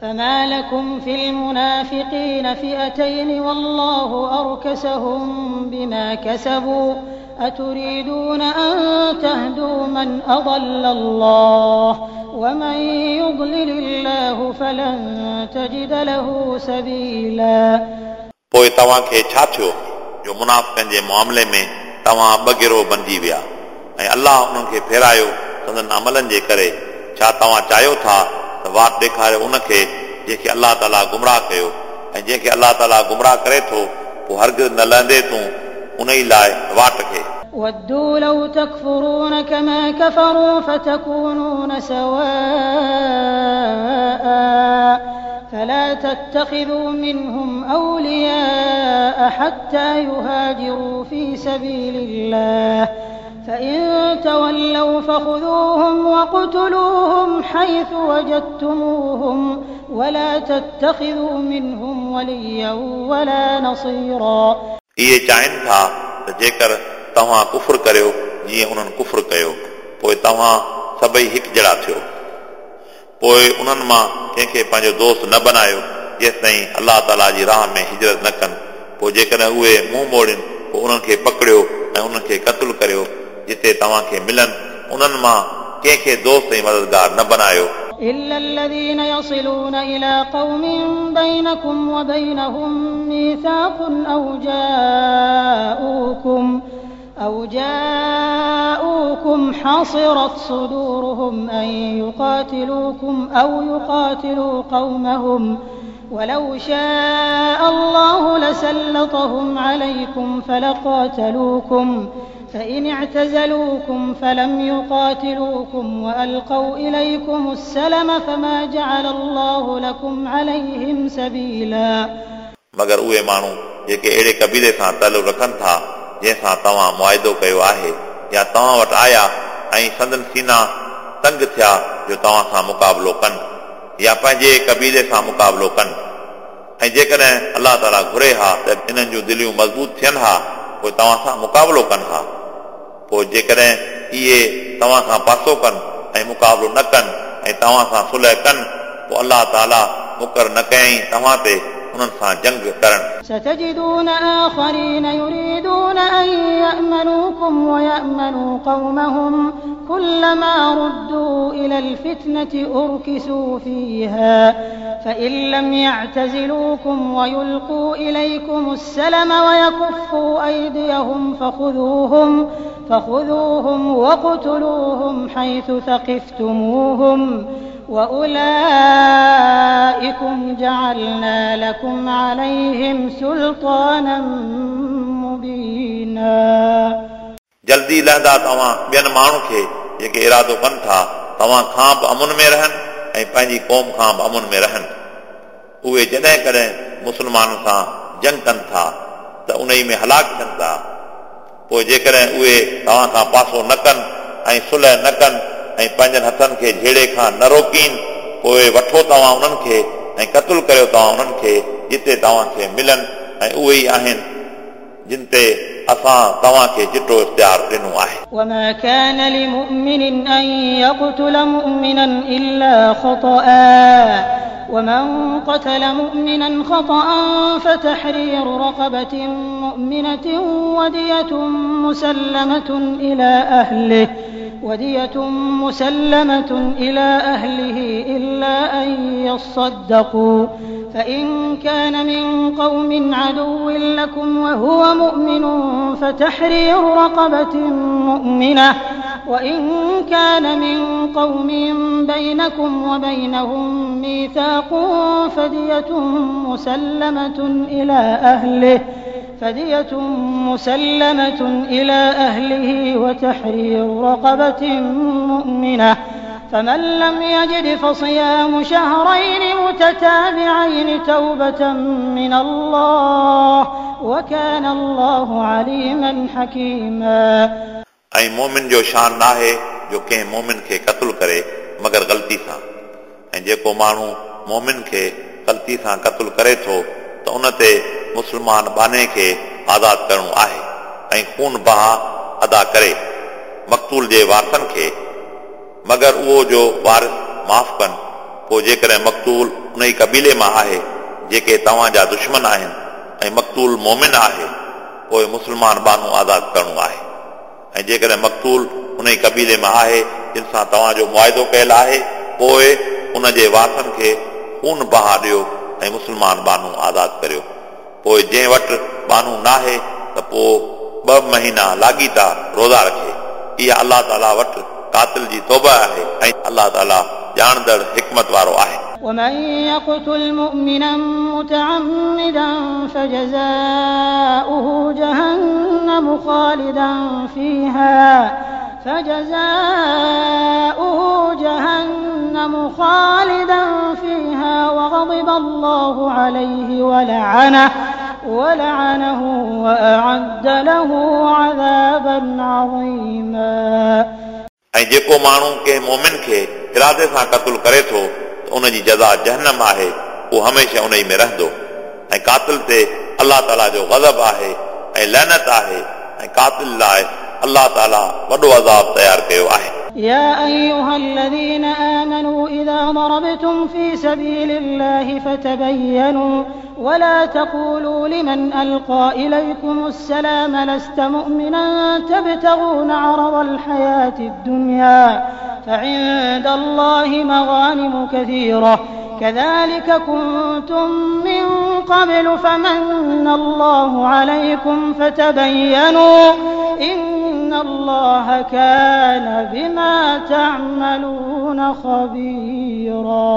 فما لكم في المنافقين فئتين والله أركسهم بما كسبوا أتريدون أن تهدوا من أضل الله ومن يضلل الله فلن تجد له سبيلا. पोइ तव्हांखे छा थियो जो मुनाफ़िकनि जे मुआमले में तव्हां ॿ गिरोह बणिजी विया ऐं अलाह उन्हनि खे फेरायो संदन अमलनि जे करे? छा तव्हां चाहियो था त वाट ॾेखारियो उनखे जंहिंखे अलाह ताला गुमराह कयो, ऐं जंहिंखे अलाह ताला गुमराह करे थो पोइ हरगिज़ न लहंदे तूं उन ई लाइ वाट खे। ودوا لو تكفرون كما كفروا فتكونون سواء فلا تتخذوا منهم أولياء حتى يهاجروا في سبيل الله فإن تولوا فخذوهم وقتلوهم حيث وجدتموهم ولا تتخذوا منهم وليا ولا نصيرا. इहे चाहिनि था त जेकर तव्हां कुफुर करियो जीअं उन्हनि कुफुर कयो, पोइ तव्हां सभई हिकु जहिड़ा थियो। पोइ उन्हनि मां कंहिंखे पंहिंजो दोस्त न बनायो जेसि ताईं अलाह ताला जी राह में हिजरत न कनि। पोइ जेकॾहिं उहे मुंहुं मोड़नि पोइ उन्हनि खे पकड़ियो ऐं उन्हनि खे क़तलु करियो जिते तव्हांखे मिलनि। उन्हनि मां कंहिंखे दोस्त ऐं मददगार न बनायो। إلا الذين يصلون إلى قوم بينكم وبينهم ميثاق أو جاءوكم حصرت صدورهم أن يقاتلوكم أو يقاتلوا قومهم ولو شاء الله لسلطهم عليكم فلقاتلوكم فإن اعتزلوكم فلم يقاتلوكم وألقوا إليكم السلم فما جعل الله لكم عليهم سبيلا. मगर उहे माण्हू जेके अहिड़े क़बीले सां तालुक़ रखनि था जंहिंसां तव्हां मुआइदो कयो आहे या तव्हां वटि आया ऐं संदन सीना तंग थिया जो तव्हां सां मुक़ाबिलो कनि या पंहिंजे क़बीले सां मुक़ाबिलो कनि, ऐं जेकॾहिं अलाह ताला घुरे हा त इन्हनि जूं दिलियूं मज़बूत थियनि हा पोइ तव्हां सां मुक़ाबिलो कनि हा। पोइ जेकॾहिं इहे तव्हां खां पासो कनि ऐं मुक़ाबिलो न कनि ऐं तव्हां सां सुलह कनि पोइ अलाह ताला मुक़ररु न कयईं तव्हां ते उन्हनि सां जंग करणु। ستجدون آخرين يريدون أن يأمنوكم ويأمنوا قومهم كلما ردوا إلى الفتنة أركسوا فيها فإن لم يعتزلوكم ويلقوا إليكم السلم ويكفوا أيديهم فخذوهم وقتلوهم حيث ثقفتموهم وأولئكم جعلنا لكم عليهم سلطانا مبينا. जल्दी लहंदा तव्हां ॿियनि माण्हुनि खे जेके इरादो कनि था तव्हां खां बि अमुन में रहनि ऐं पंहिंजी क़ौम खां बि अमुन में रहनि। उहे जॾहिं कॾहिं मुस्लमाननि सां जंग कनि था त उन में हलाक थियनि था। पोइ जेकॾहिं उहे तव्हां खां पासो न कनि ऐं सुलह न कनि ऐं पंहिंजनि हथनि खे झेड़े खां न रोकीनि, पोइ वठो तव्हां उन्हनि खे ऐं क़तलु करियो तव्हां उन्हनि खे जिते तव्हांखे मिलनि, ऐं उहे ई आहिनि जिन ते असां तव्हांखे चिटो इख़्तियार ॾिनो आहे। وما كان لمؤمن أن يقتل مؤمنا إلا خطأ ومن قتل مؤمنا خطأ فتحرير رقبة مؤمنة ودية مسلمة إلى أهله إلا أن يصدقوا فإن كان من قوم عدو لكم وهو مؤمن فتحرير رقبة مؤمنة وإن كان من قوم بينكم وبينهم ميثاق فدية مسلمة إلى أهله وتحرير رقبة مؤمنة فمن لم يجد فصيام شهرين متتابعين توبة من الله وكان الله عليما حكيما. ऐं मोमिन जो शान नाहे जो कंहिं मोमिन खे क़तलु करे मगर ग़लती सां, ऐं जेको माण्हू मोमिन खे ग़लती सां क़तलु करे थो त उन ते मुस्लमान बाने खे आज़ाद करिणो आहे ऐं खून बहा अदा करे मक़तूल जे वारसनि खे, मगर उहो जो वारिस माफ़ कनि। पोइ जेकॾहिं मक़तूल उन उन ई क़बीले मां आहे जेके तव्हांजा दुश्मन आहिनि ऐं मक़तूल मोमिन आहे, पोइ मुस्लमान बानू आज़ादु करिणो आहे। ऐं जेकॾहिं मक़तूल उन ई क़बीले मां आहे जिन सां तव्हांजो मुआहिदो कयल आहे, पोइ उन जे वारसनि खे खून बहा ॾियो ऐं मुस्लमान बानू आज़ादु करियो। पोइ जंहिं वटि बानू नाहे त पोइ 2 महीना लाॻीता रोज़ा रखे। इहा अलाह ताला वटि क़ातिल जी तौबा आहे ऐं अलाह ताला ॼाणंदड़ हिकमत वारो आहे। ومن يقتل مؤمنا متعمدا فجزاؤه جهنم خالدا فيها فجزاؤه جهنم خالدا فيها وغضب الله عليه ولعنه وأعد له عذابا عظيما। ऐं जेको माण्हू कंहिं मोमिन खे इरादे सां क़तलु करे थो त उन जी जज़ा जहन्नम आहे, उहो हमेशह उन में रहंदो। ऐं क़ातिल ते अलाह ताला जो ग़ज़ब आहे ऐं लैनत आहे ऐं क़ातिल लाइ अलाह ताला वॾो अज़ाब तयारु कयो आहे। يا أيها الذين آمنوا إذا ضربتم في سبيل الله فتبينوا ولا تقولوا لمن ألقى إليكم السلام لست مؤمنا تبتغون عرض الحياة الدنيا فعند الله مغانم كثيرة كذلك كنتم من قبل فمن الله عليكم فتبينوا إن الله كان بما تعملون خبيرا।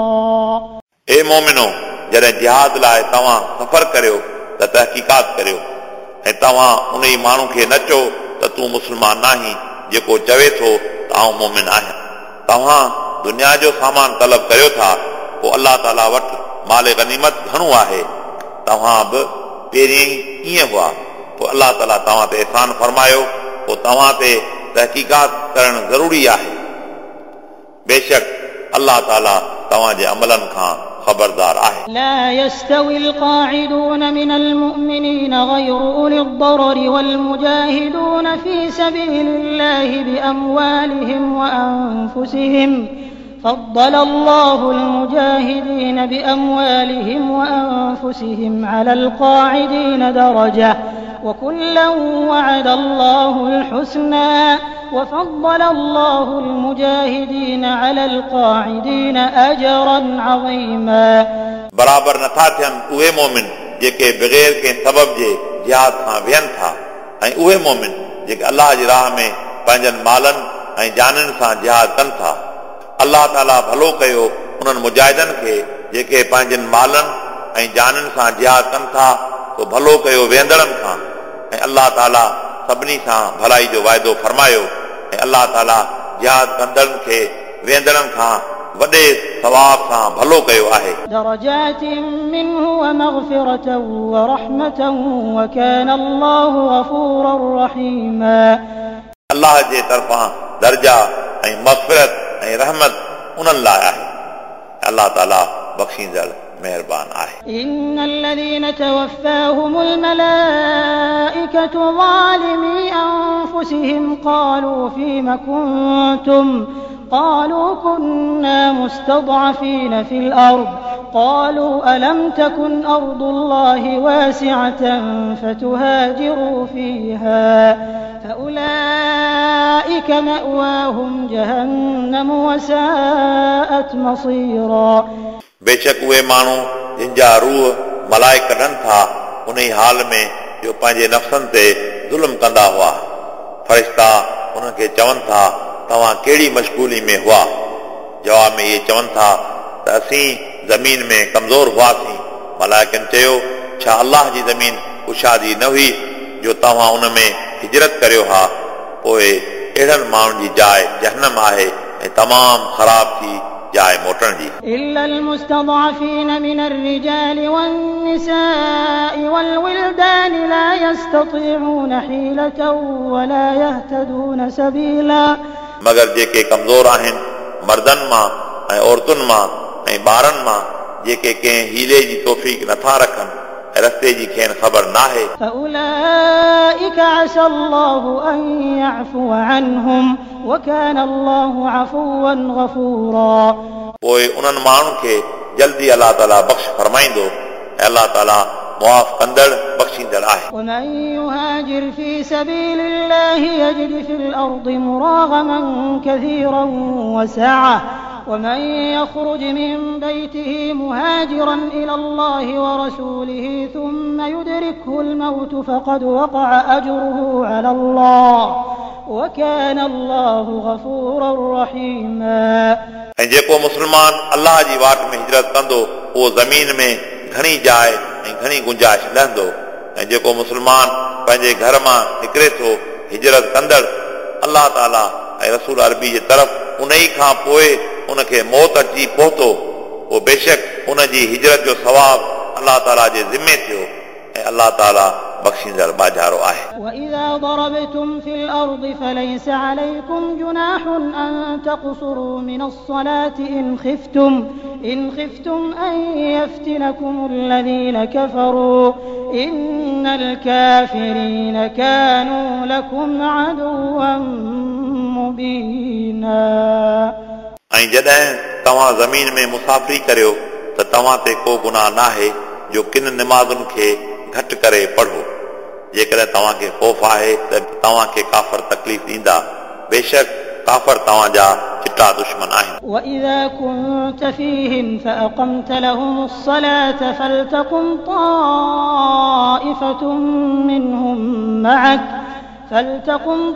ए मोमिनो, जॾहिं जिहाद लाइ तव्हां सफ़र करियो त तहक़ीक़ात करियो ऐं तव्हां उन ई माण्हू खे न चओ त तूं मुस्लमान नाहीं जेको चवे थो त आउं मोमिन आहियां। तव्हां दुनिया जो सामान तलब करियो था, पोइ अलाह ताला वटि माल गनीमत घणो आहे। तव्हां बि पहिरीं ईअं हुआ, पोइ अलाह ताला तव्हां ते एहसान फरमायो, पोइ तव्हां ते तहक़ीक़ात करणु ज़रूरी आहे। बेशक अलाह ताला तव्हांजे अमलनि खां ख़बरदार आहे। لا يستوي القاعدون من المؤمنين غير أولي الضرر والمجاهدون في سبيل الله بأموالهم وأنفسهم فضل الله المجاهدين بأموالهم وأنفسهم على القاعدين درجة وكلا وعد الله الحسنى وفضل الله المجاهدين على القاعدين أجرا عظيما। बराबर नथा थियनि उहे मोमिन जेके बग़ैर कंहिं सबब जे जिहाद खां विहनि था ऐं उहे मोमिन जेके अलाह जी राह में पंहिंजनि मालनि ऐं जाननि सां जिहाद कनि था। अलाह ताला भलो कयो उन्हनि मुजाहिदनि खे जेके पंहिंजनि मालनि ऐं जाननि सां जिहाद कनि था, तो भलो कयो वेंदड़नि खां। ऐं अलाह ताला सभिनी सां भलाई जो वाइदो फरमायो ऐं अलाह ताला जिहाद कंदड़नि खे वेंदड़नि खां वॾे सवाब सां भलो कयो आहे। درجات منه ومغفرة ورحمة وكان الله غفورا رحيما। अलाह जे तरफ़ां दर्जा ऐं मग़फ़िरत ऐं रहमत उन्हनि लाइ आहे। अलाह ताला बख़्शींदड़ मेहरबान आहे। إن الذين توفاهم الملائكة ظالمي أنفسهم قالوا فيم كنتم قالوا كنا مستضعفين في الأرض قالوا ألم تكن أرض الله واسعة فتهاجروا فيها فأولئك مأواهم جهنم وساءت مصيرا। बेशक उहे माण्हू जिन जा रूह मलाइक कढनि था उन ई हाल में जो पंहिंजे नफ़्सनि ते ज़ुल्म कंदा हुआ, फ़रिश्ता उन्हनि खे चवनि था तव्हां कहिड़ी मशगूली में हुआ? जवाब में इहे चवनि था त असीं ज़मीन में कमज़ोर हुआसीं। मलाइकनि चयो, छा अलाह जी ज़मीन कुशादी न हुई जो तव्हां उन में हिजरत करियो हा? पोइ अहिड़नि माण्हुनि जी जाइ जहन्नम आहे ऐं तमामु ख़राब थी जाइ मोटण जी। إلا المستضعفين من الرجال والنساء والولدان لا يستطيعون حيلة ولا يهتدون سبيلا। मगर जेके कमज़ोर आहिनि मर्दनि मां ऐं औरतुनि मां ऐं ॿारनि मां, जेके कंहिं हीले जी तौफ़ीक़ नथा रखनि ऐं रस्ते जी खेनि ख़बर नाहे, فأولئك عسى الله أن يعفو عنهم وكان الله عفوا غفورا। पोइ उन्हनि माण्हुनि खे जल्दी अलाह ताला बख़्श फरमाईंदो ऐं अलाह ताला मुआफ़ कंदड़ बख़्शींदड़ आहे। ومن يهاجر في سبيل الله يجد في الأرض مراغما كثيرا وسعة ومن يخرج من بيته مهاجرا إلى الله ورسوله ثم يدركه الموت فقد وقع أجره على الله وكان الله غفورا رحيما। ऐं जेको मुस्लमान अलाह जी वाट में हिजरत कंदो उहो ज़मीन में घणी जाइ ऐं घणी गुंजाइश लहंदो। ऐं जेको मुस्लमान पंहिंजे घर मां निकिरे थो हिजरत कंदड़ अलाह ताला ऐं रसूल अरबी जे तरफ़ उन ई खां पोइ उनखे मौत अची पहुतो पोइ बेशक उन जी हिजरत जो सवाब अलाह ताला जे ज़िमे थियो ऐं अलाह ताला बख़्शींदड़ बाजारो आहे। وإذا ضربتم في الأرض فليس عليكم جناح أن تقصروا من الصلاة إن خفتم أن يفتنكم الذين كفروا إن الكافرين كانوا لكم عدوا مبينا। ऐं जॾहिं तव्हां ज़मीन में मुसाफ़िरी करियो त तव्हां ते को गुनाह नाहे जो किन निमाज़ुनि खे घटि करे पढ़ो। जेकॾहिं तव्हांखे ख़ौफ़ आहे त तव्हांखे काफ़र तकलीफ़ ॾींदा, बेशक काफ़र तव्हांजा चिटा दुश्मन आहिनि। وإذا كنت فيهم فأقمت لهم الصلاة فلتقم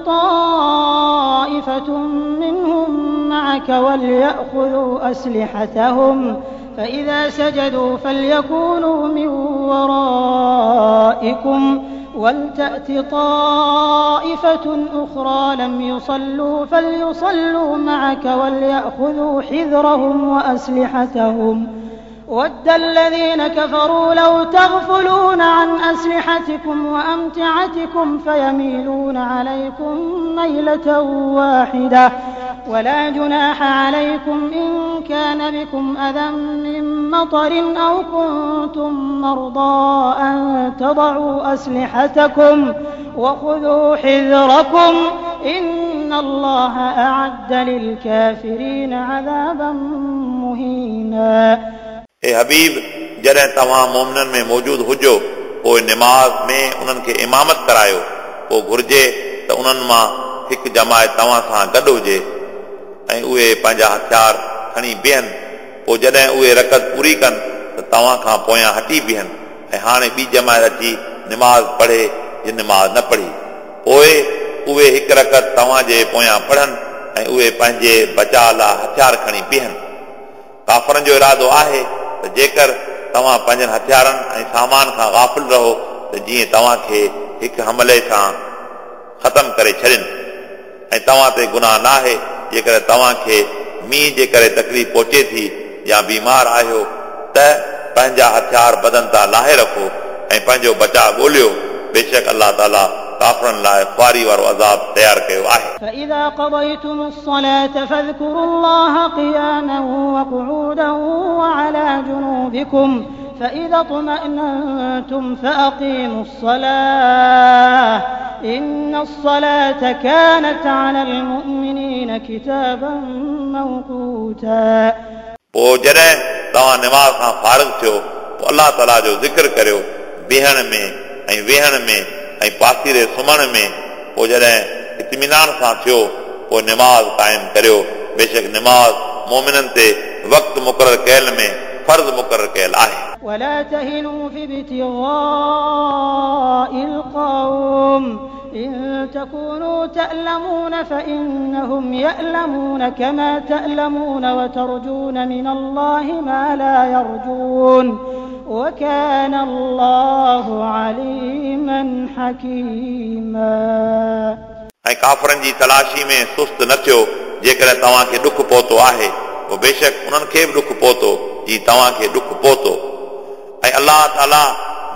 طائفة منهم معك وليأخذوا أسلحتهم فإذا سجدوا فليكونوا من ورائكم ولتأت طائفة أخرى لم يصلوا فليصلوا معك وليأخذوا حذرهم وأسلحتهم ود الذين كفروا لو تغفلون عن أسلحتكم وأمتعتكم فيميلون عليكم ميلة واحدة ولا جناح عليكم إن كان بكم أذى من مطر أو كنتم مرضى أن تضعوا أسلحتكم وخذوا حذركم إن الله أعد للكافرين عذابا مهينا। ए हबीब, जॾहिं तव्हां मोमिननि में मौजूद हुजो पोइ निमाज़ में उन्हनि खे इमामत करायो, पोइ घुर्जे त उन्हनि मां हिकु जमायत तव्हां सां गॾु हुजे ऐं उहे पंहिंजा हथियार खणी बीहनि। पोइ जॾहिं उहे रकत पूरी कनि त तव्हां खां पोयां हटी बीहनि ऐं हाणे ॿी जमायत अची निमाज़ पढ़े जिन निमाज़ न पढ़ी, पोइ उहे हिकु रकत तव्हांजे पोयां पढ़नि ऐं उहे पंहिंजे बचाव लाइ हथियार खणी बीहनि। काफ़रनि जो इरादो आहे त जेकर तव्हां पंहिंजनि हथियारनि ऐं सामान खां गाफ़िल रहो त जीअं तव्हांखे हिकु हमले सां ख़तमु करे छॾनि ऐं तव्हां ते गुनाह नाहे जेकर तव्हांखे मींहुं जे करे तकलीफ़ पहुचे थी या बीमार आहियो त पंहिंजा हथियार बदन तां लाहे रखो ऐं पंहिंजो बचाव ॻोल्हियो। बेशक अलाह ताला काफ़रनि लाइ ख़्वारी वारो अज़ाब तयारु कयो आहे। فإذا قضيتم الصلاة فاذكروا الله قياما وقعودا وعلى جنوبكم فإذا اطمأننتم فأقيموا الصلاة إن الصلاة كانت على المؤمنين كتابا موقوتا। पोइ जॾहिं तव्हां निमाज़ खां फ़ारिग थियो पोइ अलाह ताला जो ज़िक्र करियो बीहण में ऐं वेहण में ऐं पासीरे सुम्हण में। पोइ जॾहिं इत्मीनान सां थियो पोइ निमाज़ क़ाइमु करियो। बेशक निमाज़ मोमिननि ते वक़्तु मुक़ररु कयल में फ़र्ज़ मुक़ररु कयल आहे। ولا تهنوا في ابتغاء القوم إن تكونوا تألمون فإنهم يألمون كما تألمون وترجون من الله ما لا يرجون وكان الله عليما حكيما। ऐं काफ़रनि जी तलाशी में सुस्त न थियो जेकॾहिं तव्हांखे ॾुख पहुतो आहे पोइ बेशक उन्हनि खे बि ॾुख पहुतो जीअं तव्हांखे ॾुख पहुतो। ऐं अलाह ताला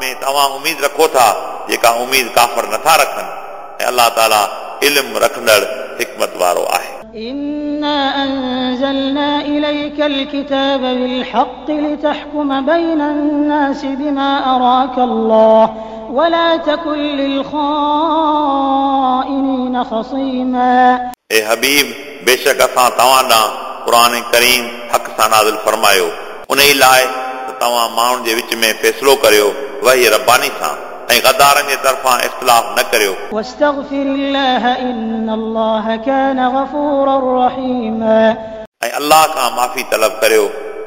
में तव्हां उमेद रखो था जेका उमेद काफ़र नथा रखनि ऐं अलाह ताला इल्मु रखंदड़ हिकमत वारो आहे। إنا أنزلنا إليك الكتاب بالحق لتحكم بين الناس بما أراك الله ولا تكن للخائنين خصيما। ए हबीब, बेशक असां तव्हां ॾांहुं क़ुर करीम हक़ सां नाज़िल फरमायो उन लाइ त तव्हां माण्हुनि जे विच में फ़ैसिलो करियो वही रब्बानी सां ऐं गदारनि जे तरफ़ां इख़्तिलाफ़ न करियो। واستغفر الله إن الله كان غفورا رحيما ऐं अल्लाह खां माफ़ी तलब करियो,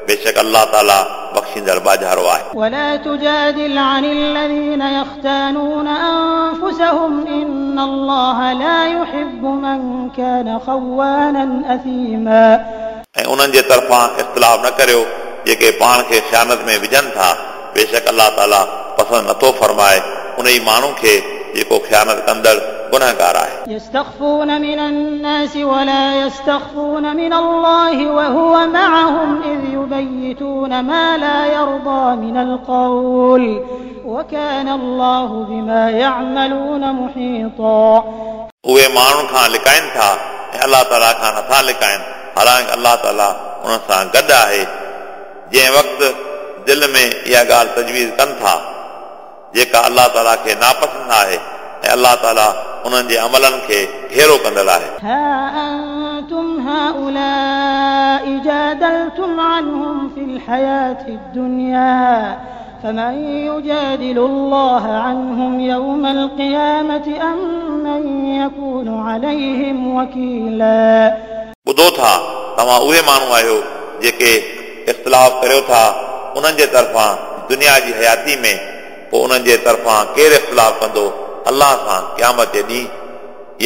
बेशक अल्लाह ताला बख़्शींदड़ बाजारो आहे। ولا تجادل عن الذين يختانون أنفسهم إن الله لا يحب من كان خوانا أثيما ऐं उन्हनि जे तरफ़ां इख़्तिलाफ़ न करियो जेके पाण खे ख़ियानत में विझनि था, बेशक अल्लाह ताला पसंदि नथो फरमाए उन ई माण्हू खे जेको ख़ियानत कंदड़ गुनहगार आहे। يستخفون من الناس ولا يستخفون من الله وهو معهم إذ يبيتون ما لا يرضى من القول وكان الله بما يعملون محيطا उहे माण्हुनि खां लिकाइनि था ऐं अल्लाह ताला खां नथा लिकाइनि, हालांकि अल्लाह ताला उन्हनि सां गॾु आहे। जंहिं वक़्तु दिलि में इहा ॻाल्हि तजवीज़ कनि था जेका अल्लाह ताला खे नापसंदि आहे ऐं अल्लाह ताला उन्हनि जे अमलनि खे घेरो कंदड़ आहे। ها أنتم هؤلاء جادلتم عنهم في الحياة الدنيا فمن يجادل الله عنهم يوم القيامة أم من يكون عليهم وكيلا ॿुधो था तव्हां उहे माण्हू आहियो जेके इख़्तिलाफ़ करियो था उन्हनि जे तरफ़ां दुनिया जी हयाती में, पोइ उन्हनि जे तरफ़ां केरु इख़्तिलाफ़ कंदो अल्लाह सां क़यामत जे ॾींहुं,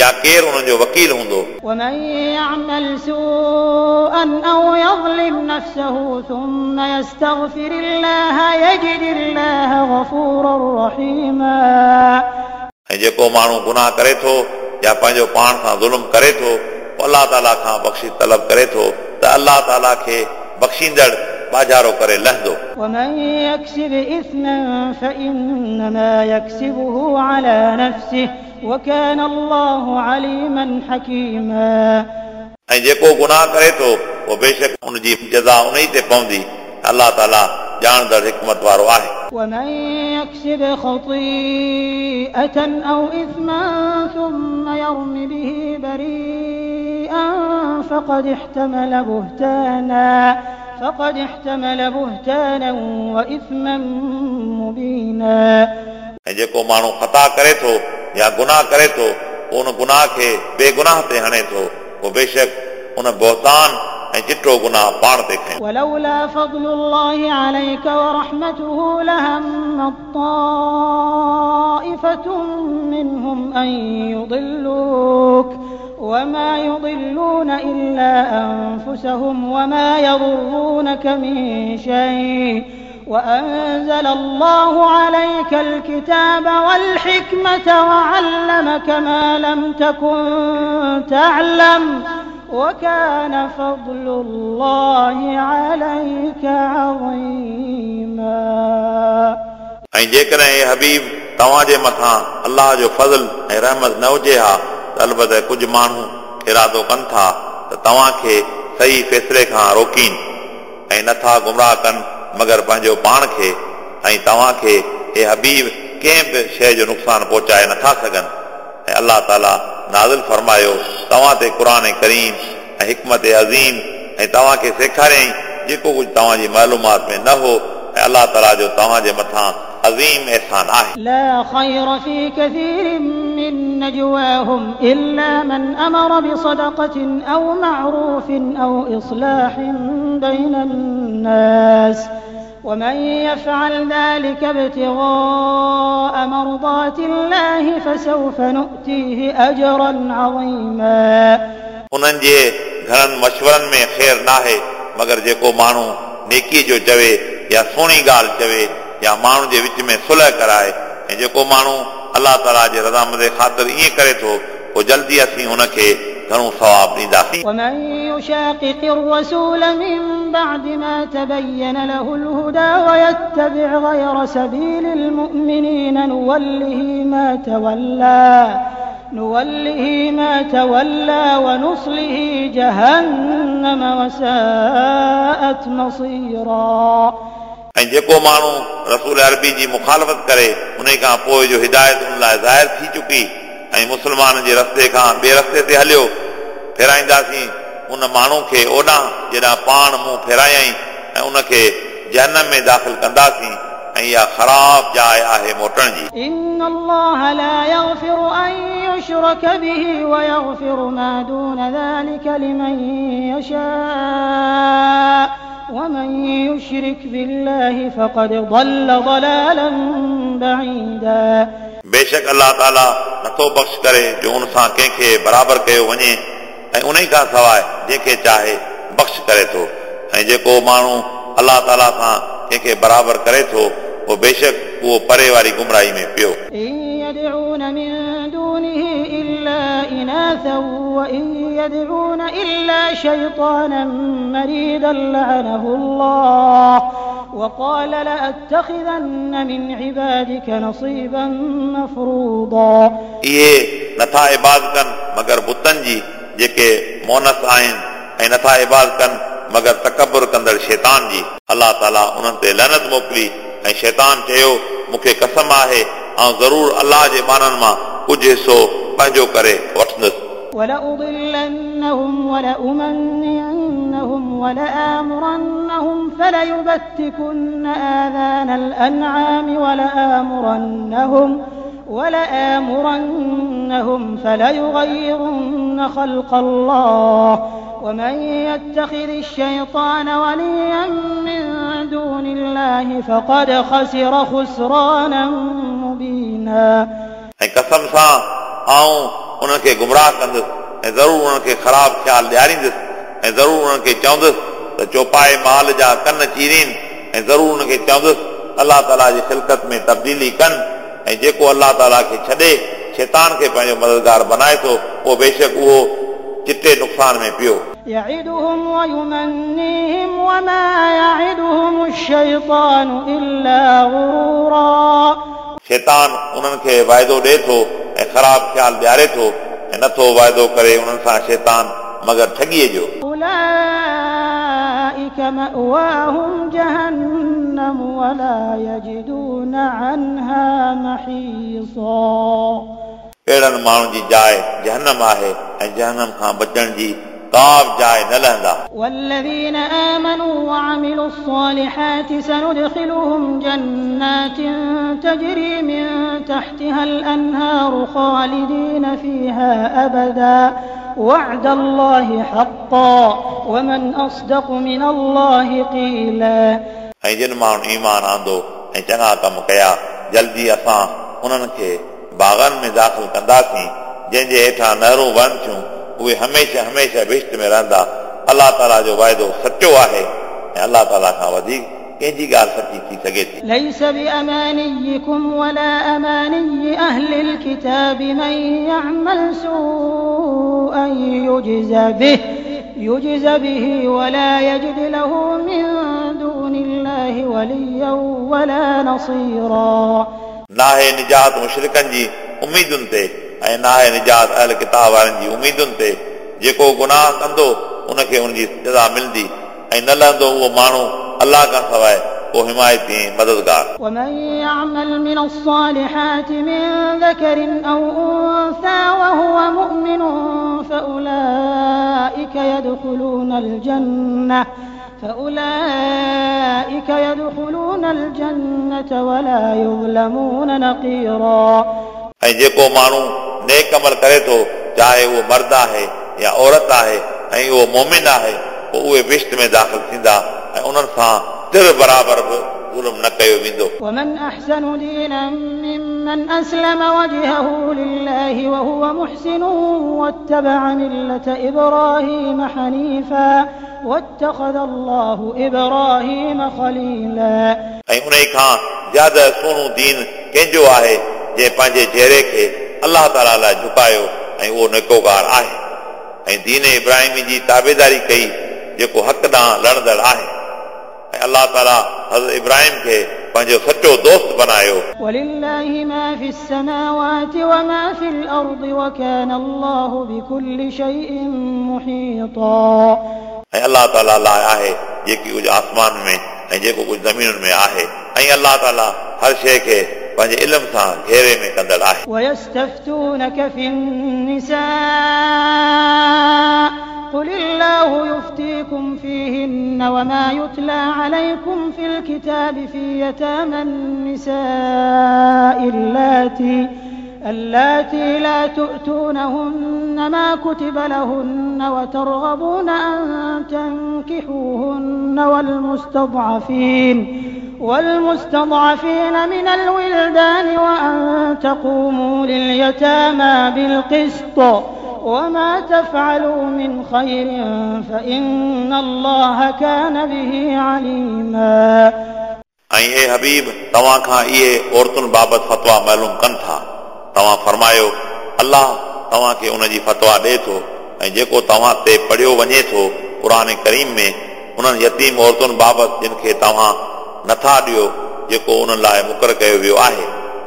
या केरु उन्हनि जो वकील हूंदो। ومن يعمل سوءا أو يظلم نفسه ثم يستغفر الله يجد الله غفورا رحيما ऐं जेको माण्हू गुनाह करे थो या पंहिंजो पाण सां ज़ुल्म करे थो पोइ अल्लाह ताला खां बख़्शिश तलब करे थो त अल्लाह ताला खे बख़्शींदड़ बाजारो करे लहंदो। ومن يكسب إثما فإنما يكسبه على نفسه وكان الله عليما حكيما ऐं जेको गुनाह करे थो उहो बेशक उनजी जज़ा उन ई ते पवंदी, अल्लाह ताला ॼाणंदड़ हिकमत वारो आहे। ومن يكسب خطيئة أو إثما ثم يرم به بريئا فقد احتمل بهتانا وإثما مبينا ऐं जेको माण्हू ख़ता करे थो या गुनाह करे थो पोइ उन गुनाह खे बेगुनाह ते हणे थो, पोइ बेशक उन बहतान ऐं चिटो गुनाह पाण ते खयो। ولولا فضل الله عليك ورحمته لهمت طائفة منهم أن يضلوك وما يضلون إلا أنفسهم وما يضرونك من شيء وأنزل الله عليك الكتاب والحكمة وعلمك ما لم تكن تعلم وكان فضل الله عليك عظيما ऐं जेकॾहिं हे हबीब तव्हांजे मथां अल्लाह जो फज़ल ऐं रहमत न हुजे हा त अलबत कुझु माण्हू इरादो कनि था त तव्हांखे सही फ़ैसिले खां रोकीनि ऐं नथा गुमराह कनि मगर पंहिंजो पाण खे, ऐं तव्हांखे हे हबीब कंहिं बि शइ जो नुक़सानु पहुचाए नथा सघनि। ऐं अल्लाह ताला नाज़िल फरमायो तव्हां ते क़ुर करीम ऐं हिकमत अज़ीम ऐं तव्हांखे सेखारियईं जेको कुझु तव्हांजी मालूमात में न हो, ऐं अल्लाह ताला जो तव्हांजे मथां अज़ीम एहसान आहे। لا خير في كثير من نجواهم إلا من أمر بصدقة أو معروف أو إصلاح بين الناس ومن يفعل ذلك ابتغاء مرضات الله فسوف نؤتيه أجرا عظيما उन्हनि जे घणनि मशवरनि में ख़ैर नाहे, मगर जेको माण्हू नेकी जो चवे या सुहिणी ॻाल्हि चवे या माण्हू जे विच में सुलह कराए, ऐं जेको माण्हू अल्लाह ताला जे रज़ामंद ख़ातिर ईअं करे थो पोइ जल्दी असीं हुनखे घणो सवाब ॾींदासीं। ومن يشاقق الرسول من بعد ما تبين له الهدى ويتبع غير سبيل المؤمنين نوله ما تولى ونصله جهنم وساءت مصيرا ऐं जेको माण्हू रसूल अरबी जी मुखालफ़त करे उन खां पोइ जो हिदायत उन लाइ ज़ाहिर थी चुकी ऐं मुस्लमान जे रस्ते खां ॿिए रस्ते ते हलियो, फेराईंदासीं उन माण्हू खे ओॾां जेॾां पाण मुंहुं फेरायईं ऐं उनखे जहनम में दाख़िल कंदासीं ऐं इहा ख़राब जाइ आहे मोटण जी। إن الله لا يغفر أن يشرك به ويغفر ما دون ذلك لمن يشاء ومن يشرك بالله فقد ضل ضلالا بعيدا। बेशक अलाह ताला नथो बख़्श करे जो उन सां कंहिंखे बराबरि कयो वञे ऐं उन खां सवाइ जंहिंखे चाहे बख़्श करे थो ऐं जेको माण्हू अलाह ताला सां कंहिंखे बराबरि करे थो उहो बेशक उहो परे वारी गुमराही में पियो। إن يدعون من دونه إلا إناثا وإن يدعون إلا شيطانا مريدا لعنه الله وقال لأتخذن من عبادك نصيبا مفروضا। इहे नथा इबादत कनि मगर बुतनि जी जेके मोनस आहिनि ऐं नथा इबादत कनि मगर तकबुर कंदड़ शैतान जी। अलाह ताला उन्हनि ते लनत मोकिली ऐं शैतान चयो मूंखे कसम आहे आउं ज़रूरु अलाह जे ॿारनि मां कुझु हिसो पंहिंजो करे वठंदुसि। ولأضلنهم ولأمنينهم ولآمرنهم فليبتكن آذان الأنعام ولآمرنهم فليغيرن خلق الله ومن يتخذ الشيطان وليا من دون الله فقد خسر خسرانا مبينا। ऐं कसम सां आउं उन्हनि खे गुमराह कंदुसि ऐं ज़रूरु उन्हनि खे ख़राब ख़्याल ॾियारींदुसि ऐं ज़रूरु उन्हनि खे चवंदुसि त चौपाए माल जा कन चीरीनि ऐं ज़रूरु उन्हनि खे चवंदुसि अलाह ताला जी ख़िलकत में तब्दीली कनि ऐं जेको अलाह ताला खे छॾे शैतान खे पंहिंजो मददगार बनाए थो उहो बेशक उहो चिटे नुक़सान में पियो। يعدهم ويمنيهم وما يعدهم الشيطان إلا غرورا। शैतान उन्हनि खे वाइदो ॾिए थो ऐं ख़राब ख़्याल ॾियारे थो ऐं नथो वाइदो करे उन्हनि सां शैतान मगर ठॻीअ जो। أولئك مأواهم جهنم ولا يجدون عنها محيصا। अहिड़नि माण्हुनि जी जाइ जहनम आहे ऐं जहनम खां बचण जी का बि जाइ न लहंदा। والذين آمنوا وعملوا الصالحات سندخلهم جنات تجري من تحتها الأنهار خالدين فيها أبدا وعد الله حقا ومن أصدق من الله قيلا। ऐं जिन माण्हुनि ईमान आंदो ऐं चङा कम कया जल्दी असां उन्हनि खे बाग़नि में दाख़िल कंदासीं जंहिंजे हेठां नहरूं वहनि थियूं उहे हमेशह हमेशह बहिश्त में रहंदा। अलाह ताला जो वाइदो सचो आहे ऐं अलाह ताला खां वधीक कंहिंजी ॻाल्हि सची थी सघे थी। ليس بأمانيكم ولا أماني أهل الكتاب من يعمل سوءا يجز به ولا يجد له من دون الله وليا ولا نصيرا। नाहे निजात मुशरिकनि जी उम्मीदुनि ते ऐं नाहे निजात अहल किताब वारनि जी उम्मीदुनि ते। जेको गुनाह कंदो उनखे उनजी सज़ा मिलंदी ऐं न लहंदो उहो माण्हू अलाह खां सवाइ को हिमायती ऐं मददगार। ومن يعمل من الصالحات من ذكر أو أنثى وهو مؤمن فأولئك يدخلون الجنة ولا يظلمون نقيرا। ऐं जेको माण्हू नेक अमल करे थो चाहे उहो मर्द आहे या औरत आहे ऐं उहो मोमिन आहे पोइ उहे बहिश्त में दाख़िल थींदा ऐं उन्हनि सां तिर बराबरि बि ज़ुल्म न कयो वेंदो। ومن أحسن دينا ممن أسلم وجهه لله وهو محسن واتبع ملة إبراهيم حنيفا واتخذ الله إبراهيم خليلا। ऐं उन खां ज़्यादा सुहिणो दीन कंहिंजो आहे जंहिं पंहिंजे चेहरे खे अलाह ताला लाइ झुकायो ऐं उहो नेकोगार आहे ऐं दीन इब्राहिम जी ताबेदारी कई जेको हक़ ॾांहुं लड़ंदड़ आहे ऐं अलाह ताला हज़रत इब्राहिम खे पंहिंजो सचो दोस्त बनायो। ولله ما في السماوات وما في الأرض وكان الله بكل شيء محيطا। ऐं अलाह ताला लाइ आहे जेकी कुझु आसमान में ऐं जेको कुझु ज़मीनुनि में आहे ऐं अलाह ताला हर शइ खे पंहिंजे इल्म सां घेरे में कंदड़ आहे। ويستفتونك في النساء قل الله يفتيكم فيهن وما يتلى عليكم في الكتاب في يتامى النساء اللاتي لا تؤتونهن ما كتب لهن وترغبون أن تنكحوهن والمستضعفين من الولدان وأن تقوموا لليتامى بالقسط وما تفعلوا من خير فإن الله كان به عليما. ऐं हे हबीब, तव्हां खां इहे औरतुनि बाबति फतवा मालूम कनि था। तव्हां फरमायो, अल्लाह तव्हांखे उन जी फतवा ॾिए थो ऐं जेको तव्हां ते पढ़ियो वञे थो क़ुर करीम में उन्हनि यतीम औरतुनि बाबति जिन खे तव्हां नथा ॾियो जेको उन्हनि लाइ मुक़ररु कयो वियो आहे,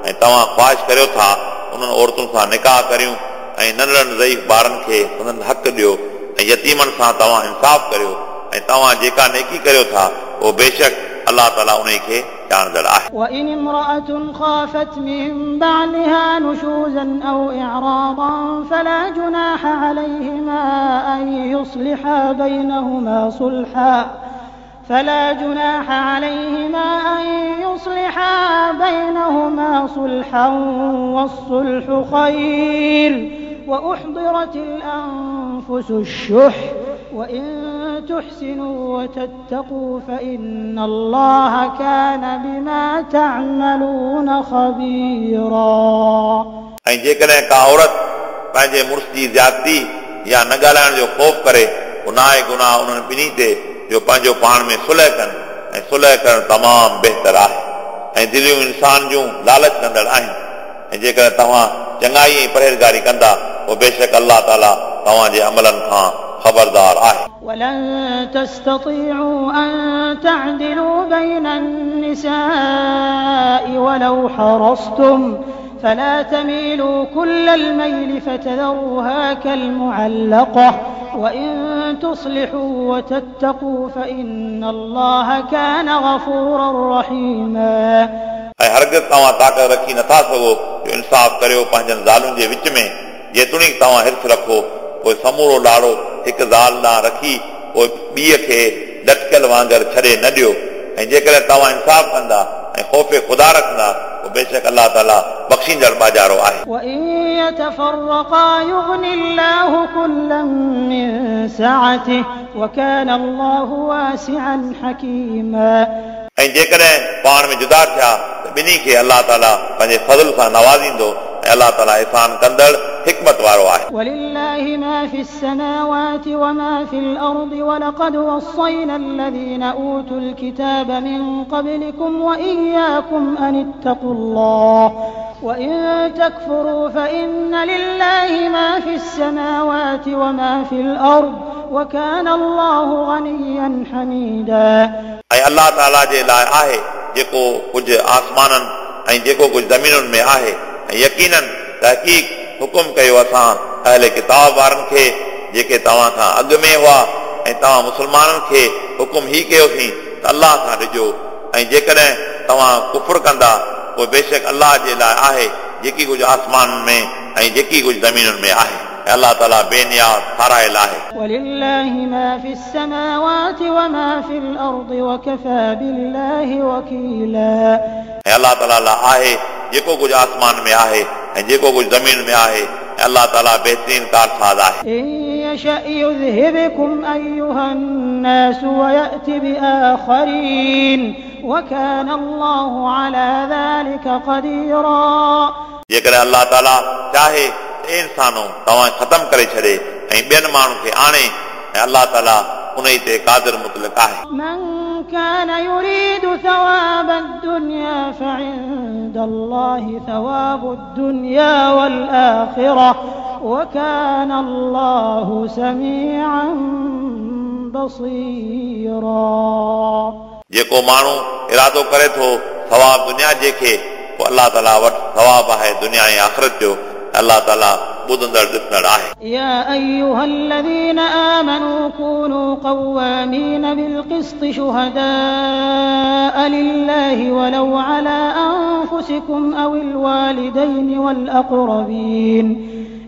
ऐं तव्हां ख़्वाहिश करियो था उन्हनि औरतुनि सां निकाह करियूं ऐं नंढड़नि ज़ईफ़ ॿारनि खे संदन हक़ ॾियो ऐं यतीमनि सां तव्हां इंसाफ़ करियो ऐं तव्हां जेका नेकी करियो था उहो बेशक अल्लाह ताला उन खे ॼाणंदड़ आहे। وإن امرأة خافت من بعلها نشوزا أو إعراضا فلا جناح عليهما أن يصلحا بينهما صلحا والصلح خير وأحضرت الأنفس الشح وإن تحسنوا وتتقوا فإن الله كان بما تعملون خبيرا. ऐं जेकॾहिं का औरत पंहिंजे मुड़ुस जी ज़्यादती या न ॻाल्हाइण जो ख़ौफ़ करे, पोइ न आहे गुनाह उन्हनि ॿिन्ही ते जो पंहिंजो पाण में सुलह कनि, ऐं सुलह करणु तमामु बहितर आहे। ऐं दिलियूं इंसान जूं लालच कंदड़ आहिनि, ऐं जेकॾहिं तव्हां चङाई ऐं परहेज़गारी कंदा पोइ बेशक अल्लाह ताला तव्हांजे अमलनि खां ख़बरदार आहे। ولن تستطيعوا أن تعدلوا بين النساء ولو حرصتم فلا تميلوا كل الميل فتذروها كالمعلقة وإن تصلحوا وتتقوا فإن الله كان غفورا رحيما. ऐं हरगिज़ तव्हां ताक़त रखी नथा सघो जो इंसाफ़ करियो पंहिंजनि ज़ालुनि जे विच में, जेतोणीकि तव्हां हिर्स रखो पोइ समूरो लाड़ो हिकु ज़ाल ॾांहुं रखी पोइ ॿीअ खे लटकल वांगुरु छॾे न ॾियो, ऐं जेकॾहिं तव्हां इंसाफ़ कंदा ऐं ख़ौफ़ ख़ुदा रखंदा पोइ बेशक अल्लाह ताला बख़्शींदड़ बाजारो आहे। وإن يتفرقا يغن الله كلا من سعته وكان الله واسعا حكيما. ऐं जेकॾहिं पाण में जुदा थिया त ॿिन्ही खे अल्लाह ताला पंहिंजे फज़ल सां नवाज़ींदो ऐं अल्लाह ताला एहसान कंदड़ हिकमत वारो आहे। ولله ما في السماوات وما في الأرض ولقد وصينا الذين أوتوا الكتاب من قبلكم وإياكم أن اتقوا الله وإن تكفروا فإن لله ما في السماوات وما في الأرض وكان الله غنيا حميدا. ऐं अल्लाह ताला जे लाइ आहे जेको कुझु आसमाननि ऐं जेको कुझु ज़मीनुनि में आहे, ऐं यकीनन तहक़ीक़ हुकुम कयो असां अहले किताब वारनि खे जेके तव्हां खां अॻु में हुआ, ऐं तव्हां मुसलमाननि खे हुकुम ई कयोसीं त अल्लाह खां ॾिजो, ऐं जेकॾहिं तव्हां कुफुर कंदा पोइ बेशक अल्लाह जे लाइ आहे जेकी कुझु आसमान में ऐं जेकी कुझु ज़मीनुनि में आहे, ऐं अल्लाह ताला बेनियाज़ सारायल आहे। ولله ما في السماوات وما في الأرض وكفى بالله وكيلا. ऐं अल्लाह ताला लाइ आहे जेको कुझु आसमान में आहे ऐं जेको कुझु ज़मीन में आहे, ऐं अल्लाह ताला बहितरीन कारसाज़ आहे। إن يشأ يذهبكم أيها الناس ويأت بآخرين وكان الله على ذلك قديرا. जेकॾहिं अल्लाह ताला चाहे त इंसानो तव्हां ख़तमु करे छॾे ऐं ॿियनि माण्हुनि खे आणे, ऐं अल्लाह ताला उन ई ते क़ादिर मुतलक़ आहे। من كان يريد ثواب الدنيا فعند الله ثواب الدنيا والآخرة وكان الله سميعا بصيرا. जेको माण्हू इरादो करे थो सवाब दुनिया जे खे, पोइ अल्लाह ताला वटि सवाब आहे दुनिया ऐं आख़िरत जो, अल्लाह ताला ॿुधंदड़ ॾिसंदड़ आहे। يا أيها الذين آمنوا كونوا قوامين بالقسط شهداء لله ولو على أنفسكم أو الوالدين والأقربين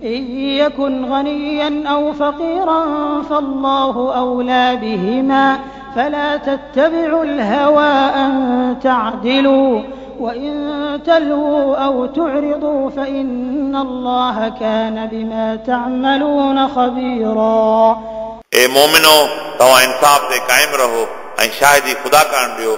إن يكن غنيا أو فقيرا فالله أولى بهما فلا تتبعوا الهوى أن تعدلوا وإن تلووا أو تعرضوا فإن الله كان بما تعملون خبيرا. ए मोमिनो, तव्हां इंसाफ़ ते क़ाइमु रहो ऐं शाहिदी ख़ुदा करण ॾियो।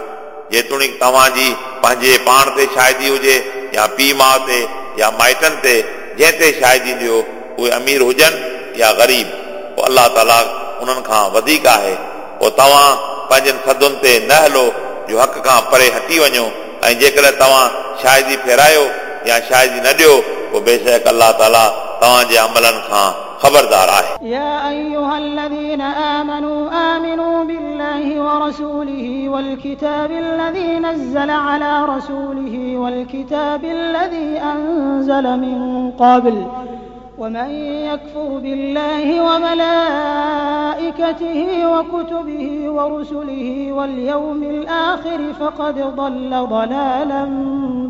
जेतोणीकि तव्हांजी पंहिंजे पाण ते शाहिदी हुजे या पीउ माउ ते या माइटनि ते, जंहिं ते शाहिदी ॾियो उहे अमीर हुजनि या ग़रीब, पोइ अलाह ताला उन्हनि खां वधीक आहे। पोइ तव्हां पंहिंजनि सदुनि ते न हलो जो हक़ खां परे हटी वञो, ऐं जेकॾहिं तव्हां शाहिदी फेरायो या शाहिदी न ॾियो पोइ बेशक अलाह ताला तव्हांजे अमलनि खां ख़बरदार आहे। يا أيها الذين آمنوا آمنوا بالله ورسوله والكتاب الذي نزل على رسوله والكتاب الذي أنزل من قبل ومن يكفر بالله وملائكته وكتبه ورسله واليوم الآخر فقد ضل ضلالا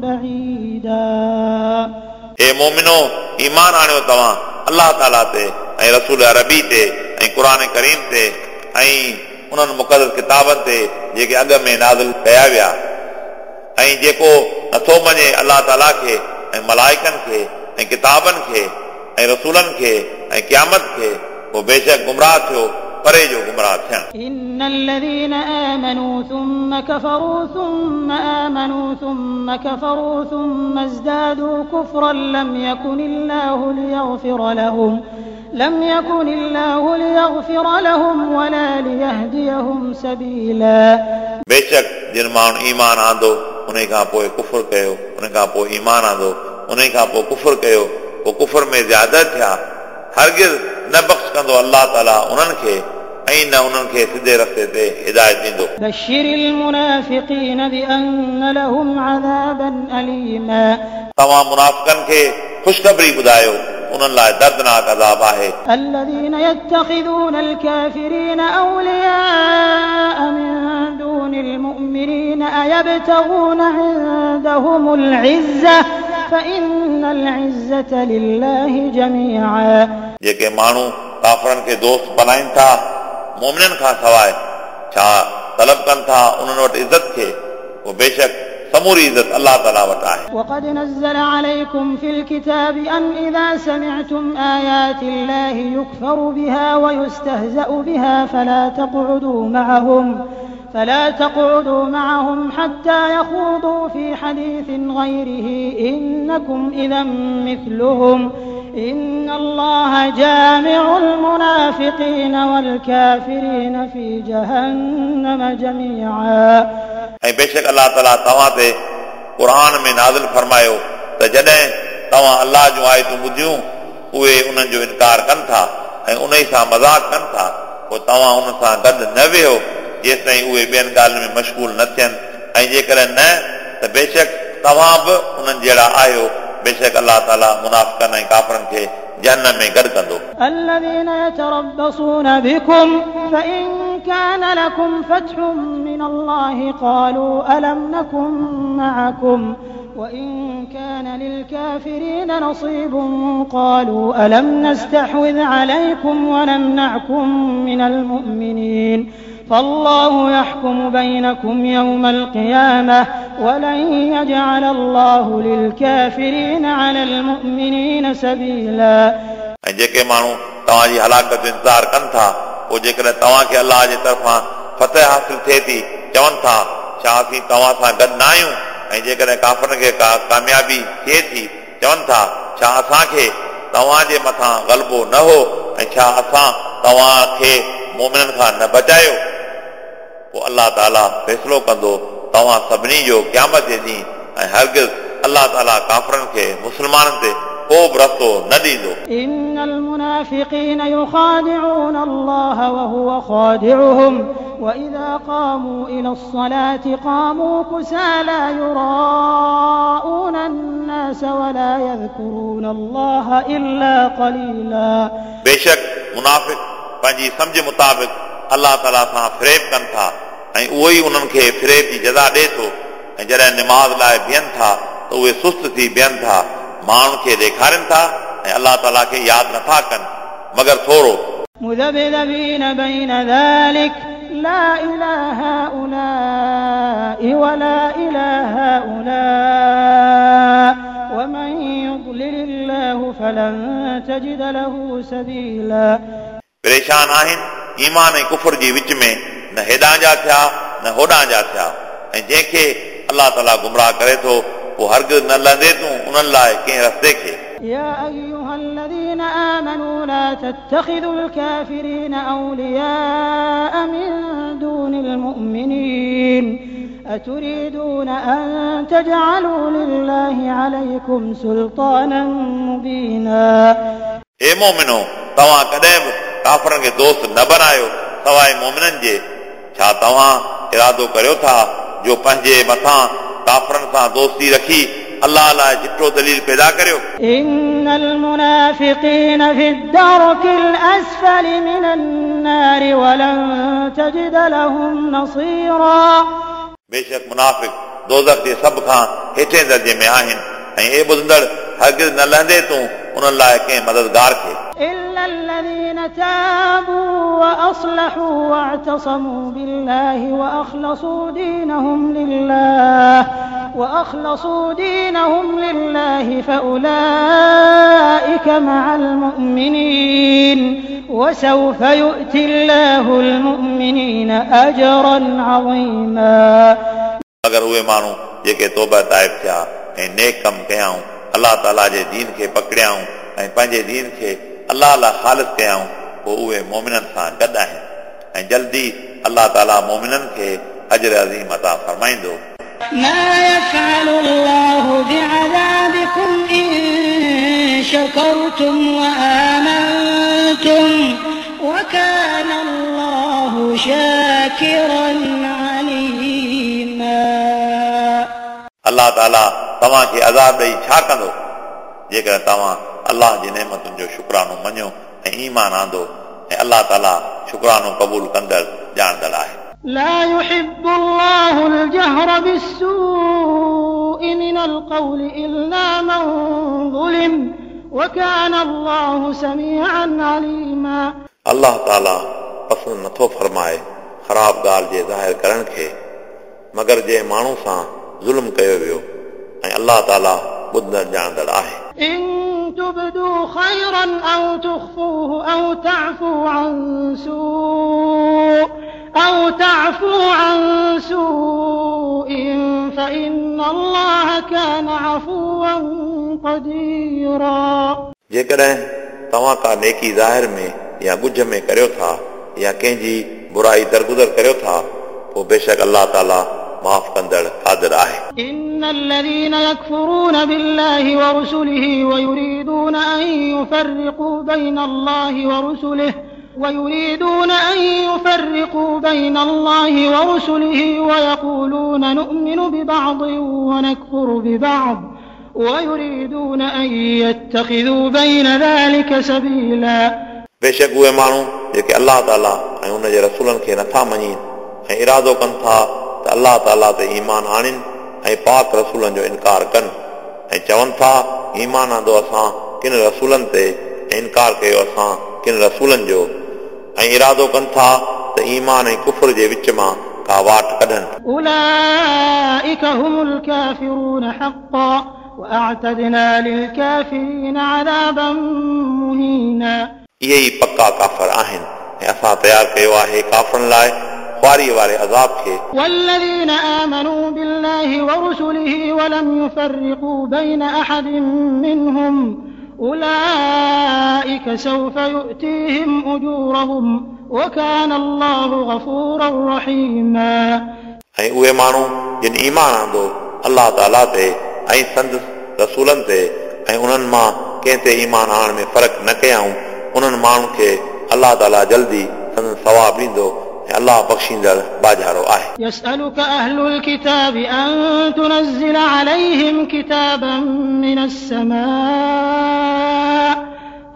بعيدا. ए मोमिनो, ईमान आणियो तव्हां अलाह ताला ते ऐं रसूल अरबी ते ऐं क़ुर करीम ते ऐं उन्हनि मुक़दस किताबनि ते जेके अॻ में नाज़िल कया विया, ऐं जेको नथो मञे अलाह ताला खे ऐं मलाइकनि खे ऐं किताबनि खे ऐं रसूलनि खे ऐं क़यामत खे, पोइ बेशक गुमराह थियो परे जो गुमराह थियणु। إن الذين آمنوا ثم كفروا ثم آمنوا ثم كفروا ثم ازدادوا كفرا لم يكن الله ليغفر لهم ولا ليهديهم سبيلا. बेशक जिन माण्हुनि ईमान आंदो उन खां पोइ कुफुर कयो, उन खां पोइ ईमान आंदो, उन खां पोइ कुफुर कयो, पोइ कुफुर में ज़्यादा थिया, हरगिज़ न बख़्श कंदो अलाह ताला उन्हनि खे ऐं न उन्हनि खे सिधे रस्ते ते हिदायत ॾींदो। بشر المنافقين بأن لهم عذابا أليما. तव्हां मुनाफ़िकनि खे ख़ुशख़बरी ॿुधायो, उन्हनि लाइ दर्दनाक अज़ाब आहे। الذين يتخذون الكافرين أولياء من دون المؤمنين أيبتغون عندهم العزة فإن العزة لله جميعا. जेके माण्हू काफ़रनि खे दोस्त बणाइनि था मोमिननि खां सवाइ, छा तलब कनि था उन्हनि वटि इज़त खे, पोइ बेशक समूरी इज़त अलाह ताला वटि आहे। وقد نزل عليكم في الكتاب أن إذا سمعتم آيات الله يكفر بها ويستهزأ بها فلا تقعدوا معهم حتى يخوضوا في حديث غيره إنكم إذا مثلهم إن الله جامع المنافقين والكافرين في جهنم جميعا. ऐं बेशक अलाह ताला तव्हां ते क़ुर में नाज़िल फरमायो त जॾहिं तव्हां अलाह जूं आयतूं ॿुधियूं, उहे उन्हनि जो इनकार कनि था ऐं उन सां मज़ाक कनि था, पोइ तव्हां उन सां गॾु न वेहो जेसि ताईं उहे ॿियनि ॻाल्हियुनि में मशगूल न थियनि, ऐं जेकॾहिं न त बेशक तव्हां बि उन्हनि जहिड़ा आहियो। बेशक अलाह ताला मुनाफ़िकनि ऐं काफ़रनि खे जहन्नम में गॾु कंदो। الذين يتربصون بكم فإن كان لكم فتح من الله قالوا ألم نكن معكم وإن كان للكافرين نصيب قالوا ألم نستحوذ عليكم ونمنعكم من المؤمنين فالله يحكم بينكم يوم القيامة ولن يجعل الله للكافرين على المؤمنين سبيلا. ऐं जेके माण्हू तव्हांजी हलाकत जो इंतज़ारु कनि था, पोइ जेकॾहिं तव्हांखे अलाह जे तरफ़ां फतह हासिल थिए थी, चवनि था छा असीं तव्हां सां गॾु न आहियूं? ऐं जेकॾहिं काफ़रनि खे का कामयाबी थिए थी, चवनि था छा असांखे तव्हांजे मथां ग़लबो न हो ऐं छा असां तव्हांखे मोमिननि खां न बचायो? पोइ अलाह ताला फ़ैसिलो कंदो तव्हां सभिनी जो क़यामत जे ॾींहुं, ऐं हरगिज़ अलाह ताला काफ़रनि खे मुस्लमाननि ते को बि रस्तो न ॾींदो। إن المنافقين يخادعون الله وهو خادعهم وإذا قاموا إلى الصلاة قاموا كسالى يراءون الناس ولا يذكرون الله إلا قليلا. बेशक मुनाफ़िक पंहिंजी सम्झ मुताबिक़ अलाह ताला सां फ़रेब कनि था ऐं उहो ई उन्हनि खे फ़रेब जी जज़ा ॾिए थो, ऐं जॾहिं निमाज़ लाइ बीहनि था त उहे सुस्त थी बीहनि था, माण्हुनि खे ॾेखारनि था ऐं अलाह ताला खे यादि नथा कनि मगर थोरो। مذبذبين بين ذلك لا إلى هؤلاء ولا إلى هؤلاء ومن يضلل الله فلن تجد له سبيلا। परेशान आहिनि ईमान ऐं कुफर जे विच में, न हेॾां जा थिया न होॾां जा थिया। ऐं जंहिंखे अलाह ताला गुमराह करे थो पोइ हरगिज़ न लहंदे तूं उन्हनि लाइ कंहिं रस्ते खे। يا أيها الذين آمنوا لا تتخذوا الكافرين أولياء من دون المؤمنين أتريدون أن تجعلوا لله عليكم سلطانا مبينا। हे मोमिनो, तव्हां कॾहिं बि काफ़रनि खे दोस्त न बणायो सवाइ मोमिननि जे। छा तव्हां इरादो करियो था जो पंहिंजे मथां काफ़रनि सां दोस्ती रखी अल्लाह लाइ चिटो दलील पैदा करियो? إن المنافقين في الدرك الأسفل من النار ولن تجد لهم نصيرا। बेशक मुनाफ़िक दोज़ख जे सभ खां हेठे दर्जे में आहिनि ऐं हे ॿुधंदड़, हरगिज़ न लहंदे तूं उन्हनि लाइ कंहिं मददगार खे। إلا الذين تابوا وأصلحوا واعتصموا بالله وأخلصوا دينهم لله فأولئك مع المؤمنين وسوف يؤتي الله المؤمنين أجرا عظيما। अगरि उहे माण्हू जेके तौबा ताइब थिया ऐं नेक कमु कयाऊं, अलाह ताला जे दीन खे पकड़ियाऊं ऐं पंहिंजे दीन खे अलाह लाइ ख़ालिस कयाऊं, पोइ उहे मोमिननि सां गॾु आहिनि ऐं जल्दी अलाह ताला मोमिननि खे अजर अज़ीम अता फरमाईंदो। ما يفعل الله بعذابكم إن شكرتم وآمنتم وكان الله شاكرا عليما। अलाह ताला तव्हांखे अज़ाब ॾेई छा कंदो जेकॾहिं तव्हां अलाह जी नेमतुनि जो शुक्रानो मञो ऐं ईमान आंदो, ऐं अलाह ताला शुक्रानो क़बूल कंदड़ ॼाणंदड़ आहे। لا يحب الله الجهر بالسوء من القول إلا من ظلم وكان الله سميعا عليما। अलाह ताला पसंदि नथो फरमाए ख़राब ॻाल्हि जे ज़ाहिर करण खे, मगर जंहिं माण्हू सां ज़ुल्म कयो वियो, ऐं अलाह ताला ॿुधंदड़ ॼाणंदड़ आहे। إن تبدوا خيرا أو تخفوه أو تعفوا عن سوء فإن الله كان عفوا قديرا। जेकॾहिं तव्हां का नेकी ज़ाहिर में या ॻुझ में करियो था या कंहिंजी बुराई दरगुज़र करियो था, पोइ बेशक अलाह ताला माफ़ कंदड़ क़ादिर आहे। إن الذين يكفرون بالله ورسله ويريدون أن يفرقوا بين الله ورسله ويقولون نؤمن ببعض ونكفر ببعض ويريدون أن يتخذوا بين ذلك سبيلا। बेशक उहे माण्हू जेके अलाह ताला ऐं उन जे रसूलनि खे नथा मञीनि ऐं इरादो कनि था त अलाह ताला ते ईमान आणनि ऐं पाक रसूलनि जो इनकार कनि, ऐं चवनि था ईमान आंदो असां किन रसूलनि ते ऐं इनकार कयो असां किन रसूलनि जो, ऐं इरादो कनि था त ईमान ऐं कुफर जे विच मां का वाट कढनि। أولئك هم الكافرون حقا وأعتدنا للكافرين عذابا مهينا। इहे ई पका काफ़र आहिनि ऐं असां तयारु कयो आहे काफ़रनि लाइ ख़्वारीअ वारे अज़ाब खे। والذين آمنوا بالله ورسله ولم يفرقوا بين أحد منهم أولئك سوف يؤتيهم أجورهم وكان الله غفورا رحيما। ऐं उहे माण्हू जिन ईमान आंदो अलाह ताला ते ऐं संदसि रसूलनि ते ऐं उन्हनि मां कंहिं ते ईमान आणण में फ़र्क़ु न कयाऊं, उन्हनि माण्हुनि खे अलाह ताला जल्दी संदसि सवाब ॾींदो ऐं अलाह बख़्शींदड़ बाजारो आहे। يسألك أهل الكتاب أن تنزل عليهم كتابا من السماء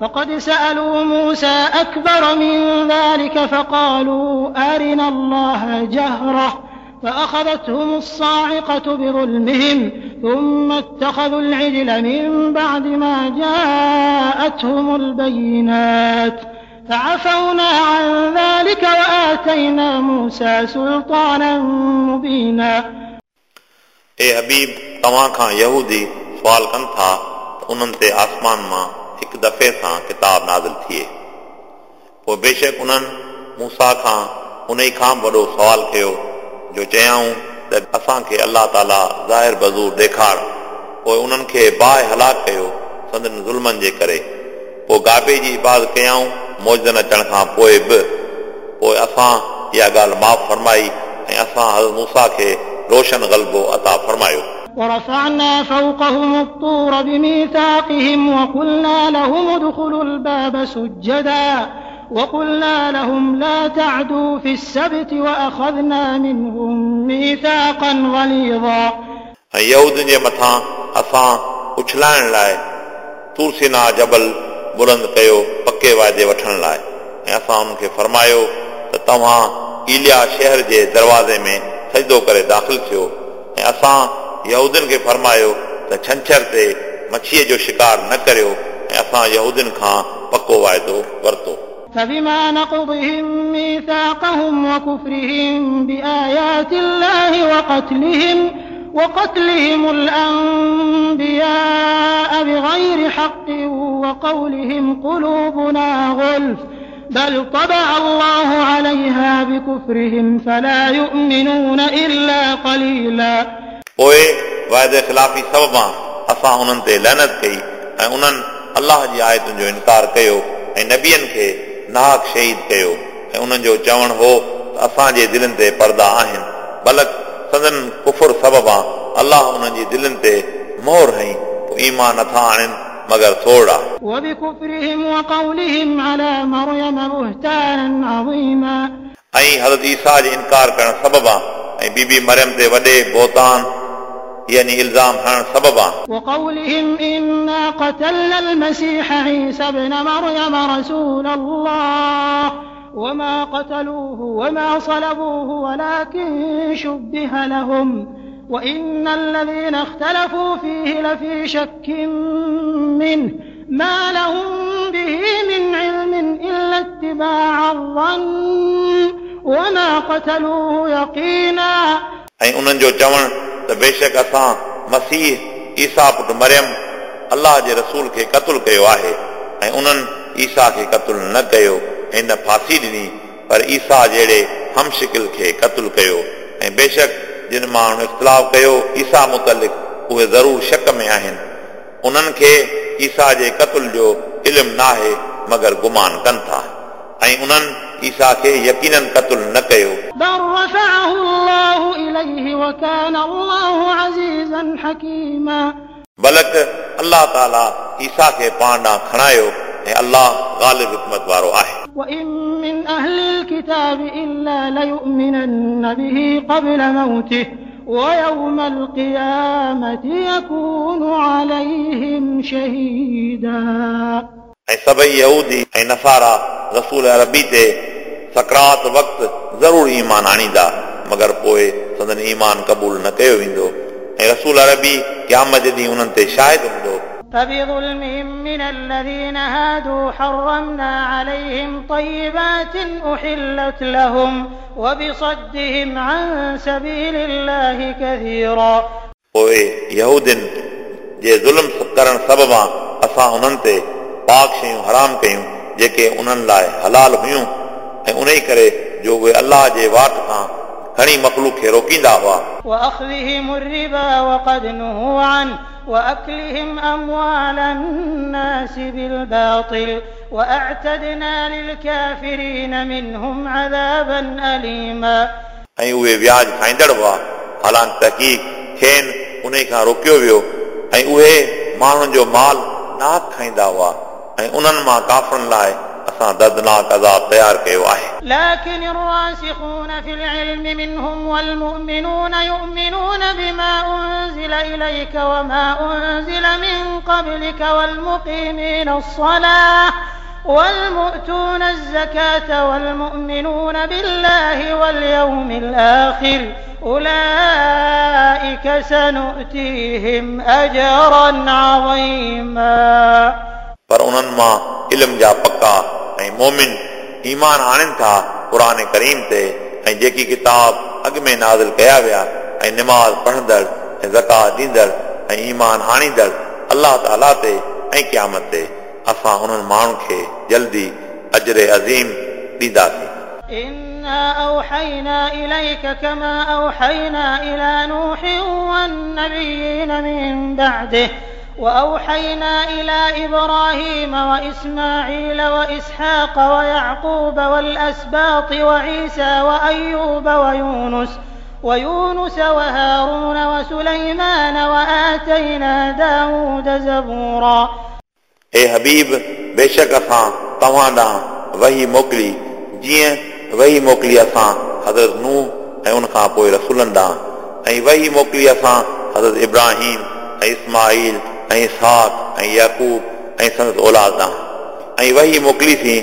فقد سألوا موسى أكبر من ذلك فقالوا أرنا الله جهرة فأخذتهم الصاعقة بظلمهم ثم اتخذوا العجل من بعد ما جاءتهم البينات فعفونا عن ذلك وآتينا موسى سلطانا مبينا. ए हबीब, तव्हां खां यहूदी सुवाल कनि था त उन्हनि ते आसमान मां हिकु दफ़े सां किताब नाज़िल थिए। पोइ बेशक उन्हनि मूसा खां उन खां बि वॾो सुवाल कयो जो चयाऊं त असांखे अलाह ताला ज़ाहिर बज़ूर ॾेखार। पोइ उन्हनि खे बाहि हलाक कयो संदन ज़ुल्मनि जे करे। पोइ गाबे जी इबादत कयाऊं मौजन अचण खां पोइ बि। पोइ असां इहा ॻाल्हि माफ़ फरमाई ऐं असां हज़रत मूसा खे रोशन ग़लबो अता फरमायो। ورفعنا فوقهم الطور بميثاقهم وقلنا لهم ادخلوا الباب سجدا وقلنا لهم لا تعدوا في السبت وأخذنا منهم ميثاقا غليظا. ऐं यहूदियुनि जे मथां असां उछलाइण लाइ तूरसीना जबल बुलंद कयो पके वाइदे वठण लाइ। ऐं असां उन्हनि खे फरमायो त तव्हां इलिया शहर जे दरवाज़े में सजदो करे दाख़िल थियो। ऐं असां यहूदियुनि खे फरमायो त छंछर ते मच्छीअ जो शिकार न करियो। ऐं असां यहूदियुनि खां पको वाइदो वरितो। فبما نقضهم ميثاقهم وكفرهم بآيات الله وقتلهم الأنبياء بغير حق وقولهم قلوبنا غلف بل طبع الله عليها بكفرهم فلا يؤمنون إلا قليلا. पोइ वाइदे ख़िलाफ़ी सबबां असां उन्हनि ते लैनत कई ऐं उन्हनि अलाह जी आयतुनि जो इनकार कयो ऐं नबियनि खे नाहक शहीद कयो। ऐं उन्हनि जो चवणु हो त असांजे दिलनि ते पर्दा आहिनि, बल्कि संदन कुफुर सबबां अलाह उन्हनि जी दिलनि ते मोहर हई, पोइ ईमान नथा आणनि मगर थोरा। وبكفرهم وقولهم على مريم بهتانا عظيما. ऐं हज़रत ईसा जे इनकार करण सबबां ऐं बीबी मरियम ते वॾे बोतान यानी इल्ज़ाम हणण सबबां। وقولهم إنا قتلنا المسيح عيسى ابن مريم رسول الله وما قتلوه وما صلبوه ولكن شبه لهم وإن الذين اختلفوا فيه لفي شك منه ما لهم به من علم إلا اتباع الظن وما قتلوه يقينا. ऐं उन्हनि जो चवणु त बेशक असां मसीह ईसा पुट मरियम अलाह जे रसूल खे क़तलु कयो आहे। ऐं उन्हनि ईसा खे क़तलु न कयो ऐं न फांसी ॾिनी, पर ईसा जहिड़े हमशिकिल खे क़तलु कयो। ऐं बेशक जिन माण्हुनि इख़्तिलाफ़ कयो ईसा मुतलिक़ उहे ज़रूर शक में आहिनि। उन्हनि खे ईसा जे क़तल जो इल्मु न आहे मगर गुमान कनि था। ऐं उन्हनि ईसा खे यकीनन क़तल न कयो। بل رفعه الله إليه وكان الله عزيزا حكيما. बल्कि अलाह ताला ईसा खे पाण ॾांहुं खणायो ऐं अलाह ग़ालिब हिकमत वारो आहे। وإن من أهل الكتاب إلا ليؤمنن به قبل موته ويوم القيامة يكون عليهم شهيدا. ऐं सभई यहूदी ऐं नसारा रसूल अरबी ते सकरात वक़्तु ज़रूर ईमान आणींदा, मगर पोइ संदन ईमान क़बूल न कयो वेंदो। ऐं रसूल अरबी क़यामत जे ॾींहुं उन्हनि ते शाहिद हूंदो। فبظلمهم من الذين هادوا حرمنا عليهم طيبات أحلت لهم وبصدهم عن سبيل الله كثيرا. पोइ यहूदियुनि जे ज़ुल्म करण सबबां असां उन्हनि ते पाक शयूं हराम कयूं जेके उन्हनि लाइ हलाल हुयूं, ऐं उन ई करे जो उहे अलाह जे वाट खां घणी मख़लूक खे रोकींदा हुआ। وأخذهم الربا وقد نهوا عنه وأكلهم أموال الناس بالباطل وأعتدنا للكافرين منهم عذابا أليما. ऐं उहे व्याज खाईंदड़ हुआ, हालांकि तहक़ीक़ खेनि उन खां रोकियो वियो। ऐं उहे माण्हुनि जो माल नाहक खाईंदा हुआ ऐं उन्हनि मां काफ़िरनि लाइ असां दर्दनाक अज़ाब तयारु कयो आहे। لكن الراسخون في العلم منهم والمؤمنون يؤمنون بما أنزل إليك وما أنزل من قبلك والمقيمين الصلاة والمؤتون الزكاة والمؤمنون بالله واليوم الآخر أولئك سنؤتيهم أجرا عظيما. पर उन्हनि मां इल्म जा पका ऐं मोमिन ईमान आणनि था क़ुर करीम ते ऐं जेकी किताब अॻु में नाज़िल कया विया ऐं नमाज़ पढ़ंदड़ ऐं ज़कात ॾींदड़ ऐं ईमान आणींदड़ अलाह ताला ते ऐं क़यामत ते असां उन्हनि माण्हुनि खे जल्दी अजर अज़ीम ॾींदासीं। إنا أوحينا إليك كما أوحينا إلى نوح والنبيين من بعده وأوحينا إلى إبراهيم وإسماعيل وإسحاق ويعقوب والأسباط وعيسى وأيوب ويونس وهارون وسليمان وآتينا داود زبورا. ए हबीब, बेशक असां तव्हां ॾांहुं वही मोकिली जीअं वही मोकिली असां हज़रत नूह ऐं उन खां पोइ रसूलनि ॾांहुं ऐं वही मोकिली असां हज़रत इब्राहिम ऐं इस्माईल ऐं इसहाक ऐं याकूब ऐं संदसि औलाद ॾांहुं ऐं वही मोकिलीसीं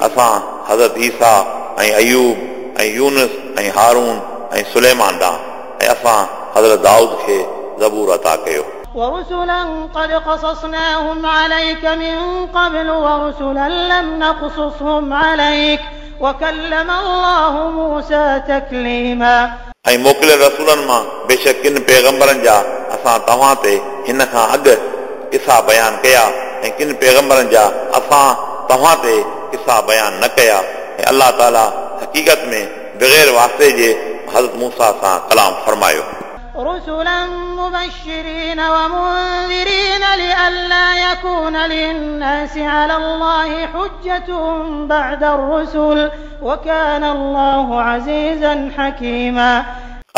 असां हज़रत ईसा ऐं अयूब ऐं यूनुस ऐं हारून ऐं सुलेमान ॾांहुं ऐं असां हज़रत दाऊद खे ज़बूर अता कयो। ورسلا قد قصصناهم عليك من قبل ورسلا لم نقصصهم عليك وكلم الله موسى تكليما. ऐं मोकिलियल रसूलनि मां बेशक किन पैगंबरनि जा असां तव्हां ते हिन खां अॻु किसा बयानु कया ऐं किन पैगंबरनि जा असां तव्हां ते किसा बयानु न कया ऐं अलाह ताला हक़ीक़त में बग़ैर वास्ते जे हज़रत मूसा सां कलाम फरमायो। رسلا مبشرين ومنذرين لئلا يكون للناس على الله حجة بعد الرسل وكان الله عزيزا حكيما.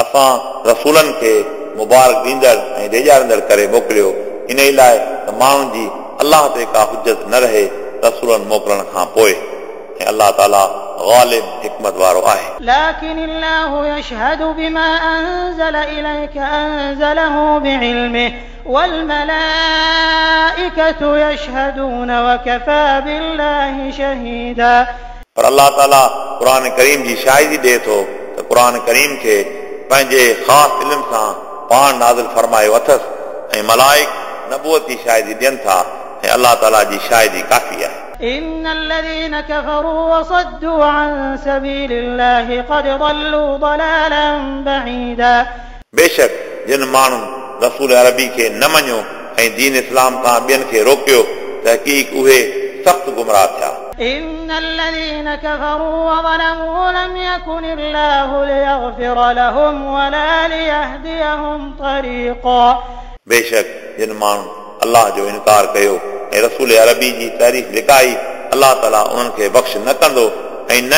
असां रसूलनि खे मुबारक ॾींदड़ ऐं ॾेजारींदड़ करे मोकिलियो इन लाइ त माण्हुनि जी अलाह ते का हुजत न रहे रसूलनि मोकिलण खां पोइ ऐं अलाह ताला ग़ालिब हिकमत वारो आहे। لكن الله يشهد بما أنزل إليك أنزله بعلمه والملائكة يشهدون وكفى بالله شهيدا. पर अलाह ताला क़ुर करीम जी शाहिदी ॾिए थो त क़ुर करीम खे पंहिंजे ख़ासि इल्म सां पाण नाज़िल फरमायो अथसि ऐं मलाइक नबूअत जी शाहिदी ॾियनि था ऐं अलाह ताला जी शाहिदी काफ़ी आहे। إن الذين كفروا وصدوا عن سبيل الله قد ضلوا ضلالا بعيدا. बेशक जिन माण्हुनि रसूल अरबी खे न मञियो ऐं दीन इस्लाम खां ॿियनि खे रोकियो तहक़ीक़ उहे सख़्तु गुमराह थिया। إن الذين كفروا وظلموا لم يكن الله ليغفر لهم ولا ليهديهم طريقا. बेशक जिन माण्हुनि अलाह जो इनकार कयो ऐं रसूल अरबी जी तारीफ़ लिकाई अलाह ताला उन्हनि खे बख़्श न कंदो ऐं न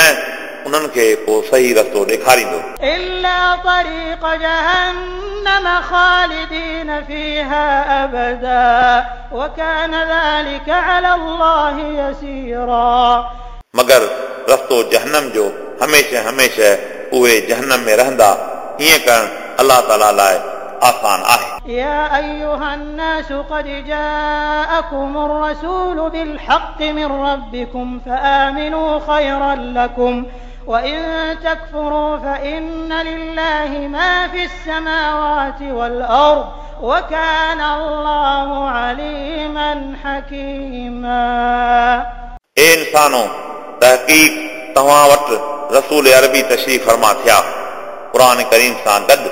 उन्हनि खे को सही रस्तो ॾेखारींदो। إلا طريق جهنم خالدين فيها أبدا وكان ذلك على الله يسيرا. मगर रस्तो जहन्नम जो हमेशह हमेशह उहे जहन्नम में रहंदा ईअं करणु अलाह ताला लाइ आसान आहे। يا أيها الناس قد جاءكم الرسول بالحق من ربكم فآمنوا خيرا لكم وإن تكفروا فإن لله ما في السماوات والأرض وكان الله عليما حكيما. ए इंसानो, तहक़ीक़ तव्हां वटि रसूल अरबी तशरीफ़ फरमा थिया क़ुर करीम सां गॾु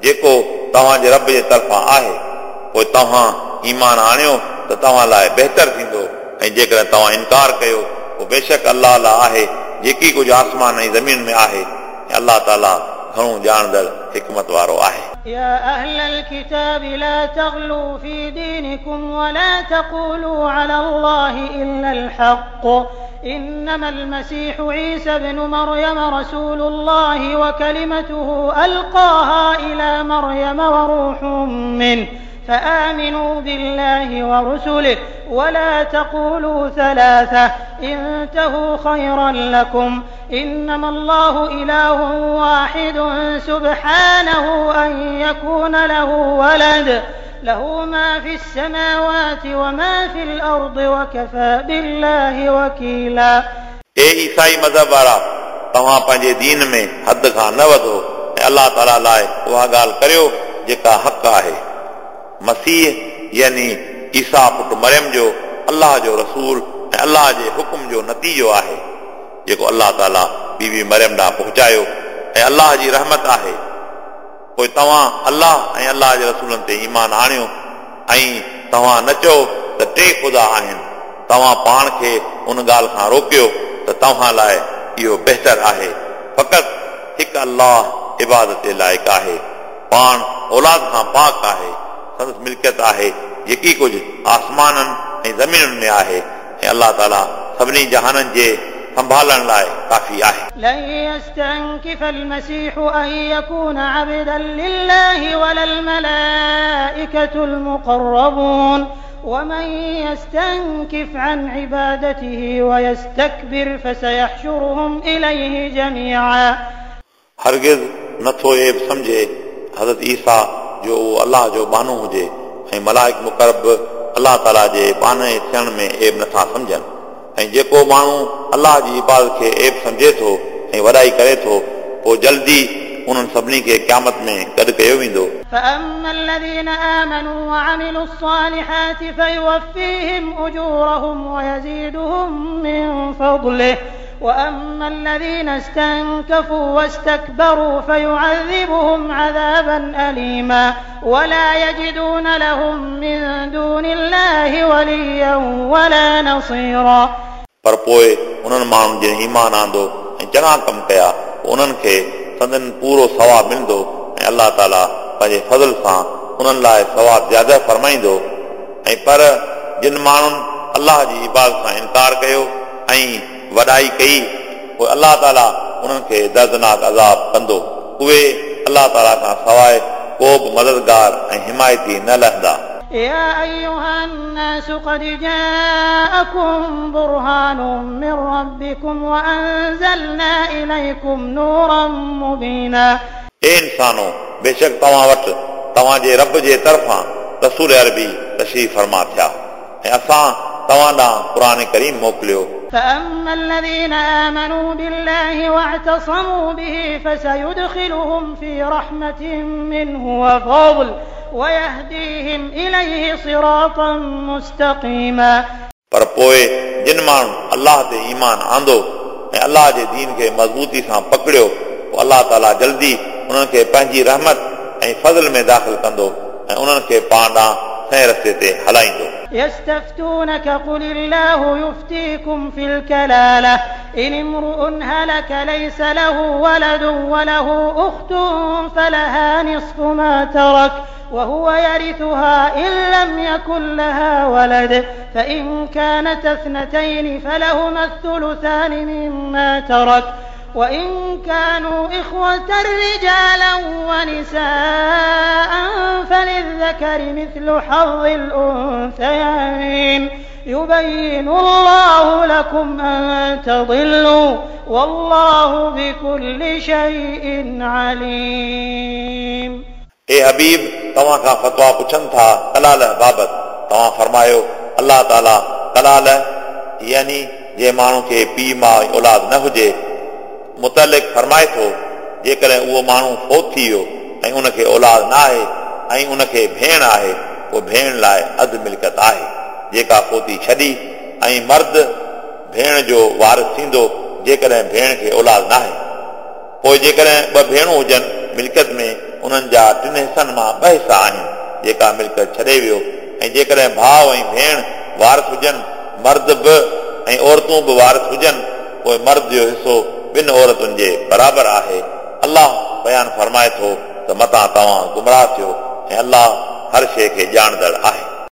जेको तव्हांजे रब जे तरफ़ां आहे, पोइ तव्हां ईमान आणियो त तव्हां लाइ बहितर थींदो ऐं जेकॾहिं तव्हां इनकार कयो पोइ बेशक अलाह लाइ आहे जेकी कुझु आसमान ऐं ज़मीन में आहे ऐं अलाह ताला घणो ॼाणंदड़ हिकमत वारो आहे। يا أهل الكتاب لا تغلوا في دينكم ولا تقولوا على الله إلا الحق إنما المسيح عيسى ابن مريم رسول الله وكلمته ألقاها إلى مريم وروح منه فآمنوا بالله ورسله ولا تقولوا ثلاثة انتهوا خيرا لكم إنما الله إله واحد سبحانه أن يكون له ولد له ما في السماوات وما في الأرض وكفى بالله وكيلا. ए ईसाई मज़हब वारा, तव्हां पंहिंजे दीन में हद खां न वधो ऐं अलाह ताला लाइ उहा ॻाल्हि करियो जेका हक़ आहे। मसीह यानी ईसा पुट मरियम जो अलाह जो रसूल ऐं अलाह जे हुकुम जो नतीजो आहे, जेको अलाह ताला बीबी मरियम ॾांहुं पहुचायो ऐं अलाह जी रहमत आहे। पोइ तव्हां अलाह ऐं अलाह जे रसूलनि ते ईमान आणियो ऐं तव्हां न चओ त टे ख़ुदा आहिनि। तव्हां पाण खे उन ॻाल्हि खां रोकियो त तव्हां लाइ इहो बहितर आहे। फ़क़ति हिकु अलाह इबादत जे लाइक़ आहे, पाण औलाद खां पाक आहे, संदसि मिल्कियत आहे जेकी कुझु आसमाननि ऐं ज़मीनुनि में आहे ऐं अलाह ताला सभिनी जहाननि जे संभालण लाइ काफ़ी आहे। لن يستنكف المسيح أن يكون عبدا لله ولا الملائكة المقربون ومن يستنكف عن عبادته ويستكبر فسيحشرهم إليه جميعا। हरगिज़ नथो ऐब सम्झे हज़रत ईसा जो उहो अलाह जो बानो हुजे ऐं मलाइक मुक़रब अलाह ताला जे बाने थियण में ऐब नथा सम्झनि। ऐं जेको माण्हू अलाह जी इबादत खे ऐब सम्झे थो ऐं वॾाई करे थो, पोइ जल्दी उन्हनि सभिनी खे क़यामत में गॾु कयो वेंदो। فأما الذين آمنوا وعملوا الصالحات فيوفيهم أجورهم ويزيدهم من فضله وأما الذين استنكفوا واستكبروا فيعذبهم عذابا أليما ولا يجدون لهم من دون الله وليا ولا نصيرا। पर पोइ उन्हनि माण्हुनि जिन ईमान आंदो ऐं चङा कम कया, उन्हनि खे संदन पूरो सवाब मिलंदो ऐं अलाह ताला पंहिंजे फज़ल सां उन्हनि लाइ सवाब ज़्यादा फरमाईंदो। ऐं पर जिन माण्हुनि अलाह जी इबादत सां इनकार कयो ऐं वॾाई कई, पोइ अलाह ताला उन्हनि खे दर्दनाक अज़ाब कंदो। उहे अलाह ताला खां सवाइ को बि मददगार ऐं हिमायती न लहंदा। يا أيها الناس قد جاءكم برهان من ربكم وأنزلنا إليكم نورا مبينا। ए इंसानो, बेशक तव्हां वटि तव्हांजे रब जे तरफ़ां रसूल अरबी तशरीफ़ फरमा थिया ऐं असां तव्हां ॾांहुं क़ुर करीम मोकिलियो। فأما الذين آمنوا بالله واعتصموا به فسيدخلهم في رحمة منه وفضل ويهديهم إليه صراطا مستقيما। पर पोइ जिन माण्हुनि अलाह ते ईमान आंदो ऐं अलाह जे दीन खे मज़बूती सां पकड़ियो, पोइ अलाह ताला जल्दी उन्हनि खे पंहिंजी रहमत ऐं फज़ल में दाख़िल कंदो ऐं उन्हनि खे पाण ॾांहुं सही रस्ते ते हलाईंदो। يستفتونك قل الله يفتيكم في الكلالة إن امرؤ هلك ليس له ولد وله أخت فلها نصف ما ترك وهو يرثها إن لم يكن لها ولد فإن كانت اثنتين فلهما الثلثان مما ترك وإن كانوا إخوة رجالا ونساء فللذكر مثل حظ الأنثيين يبين الله لكم أن تضلوا والله بكل شيء عليم। ए हबीब, तव्हां खां फतवा पुछनि था कलाल बाबति। तव्हां फरमायो, अलाह ताला कलाल यानी जे माण्हू खे पीउ माउ औलाद न हुजे मुतलिक फरमाए थो, जेकॾहिं उहो माण्हू फौत थी वियो ऐं उनखे औलाद न आहे ऐं उनखे भेण आहे, पोइ भेण लाइ अधु मिल्कियत आहे जेका फौती छॾी, ऐं मर्द भेण जो वारिस थींदो जेकॾहिं भेण खे औलाद न आहे। पोइ जेकॾहिं ॿ भेणूं हुजनि मिल्कियत में, उन्हनि जा टिनि हिसनि मां ॿ हिसा आहिनि जेका मिल्कियत छॾे वियो, ऐं जेकॾहिं भाउ ऐं भेण वारिस हुजनि, मर्द बि ऐं औरतूं बि वारिस हुजनि, पोइ मर्द जो हिसो ॿिनि औरतुनि जे बराबरि आहे। अलाह बयानु फरमाए थो त मतां तव्हां गुमराह थियो ऐं अलाह हर शइ खे ॼाणंदड़ आहे।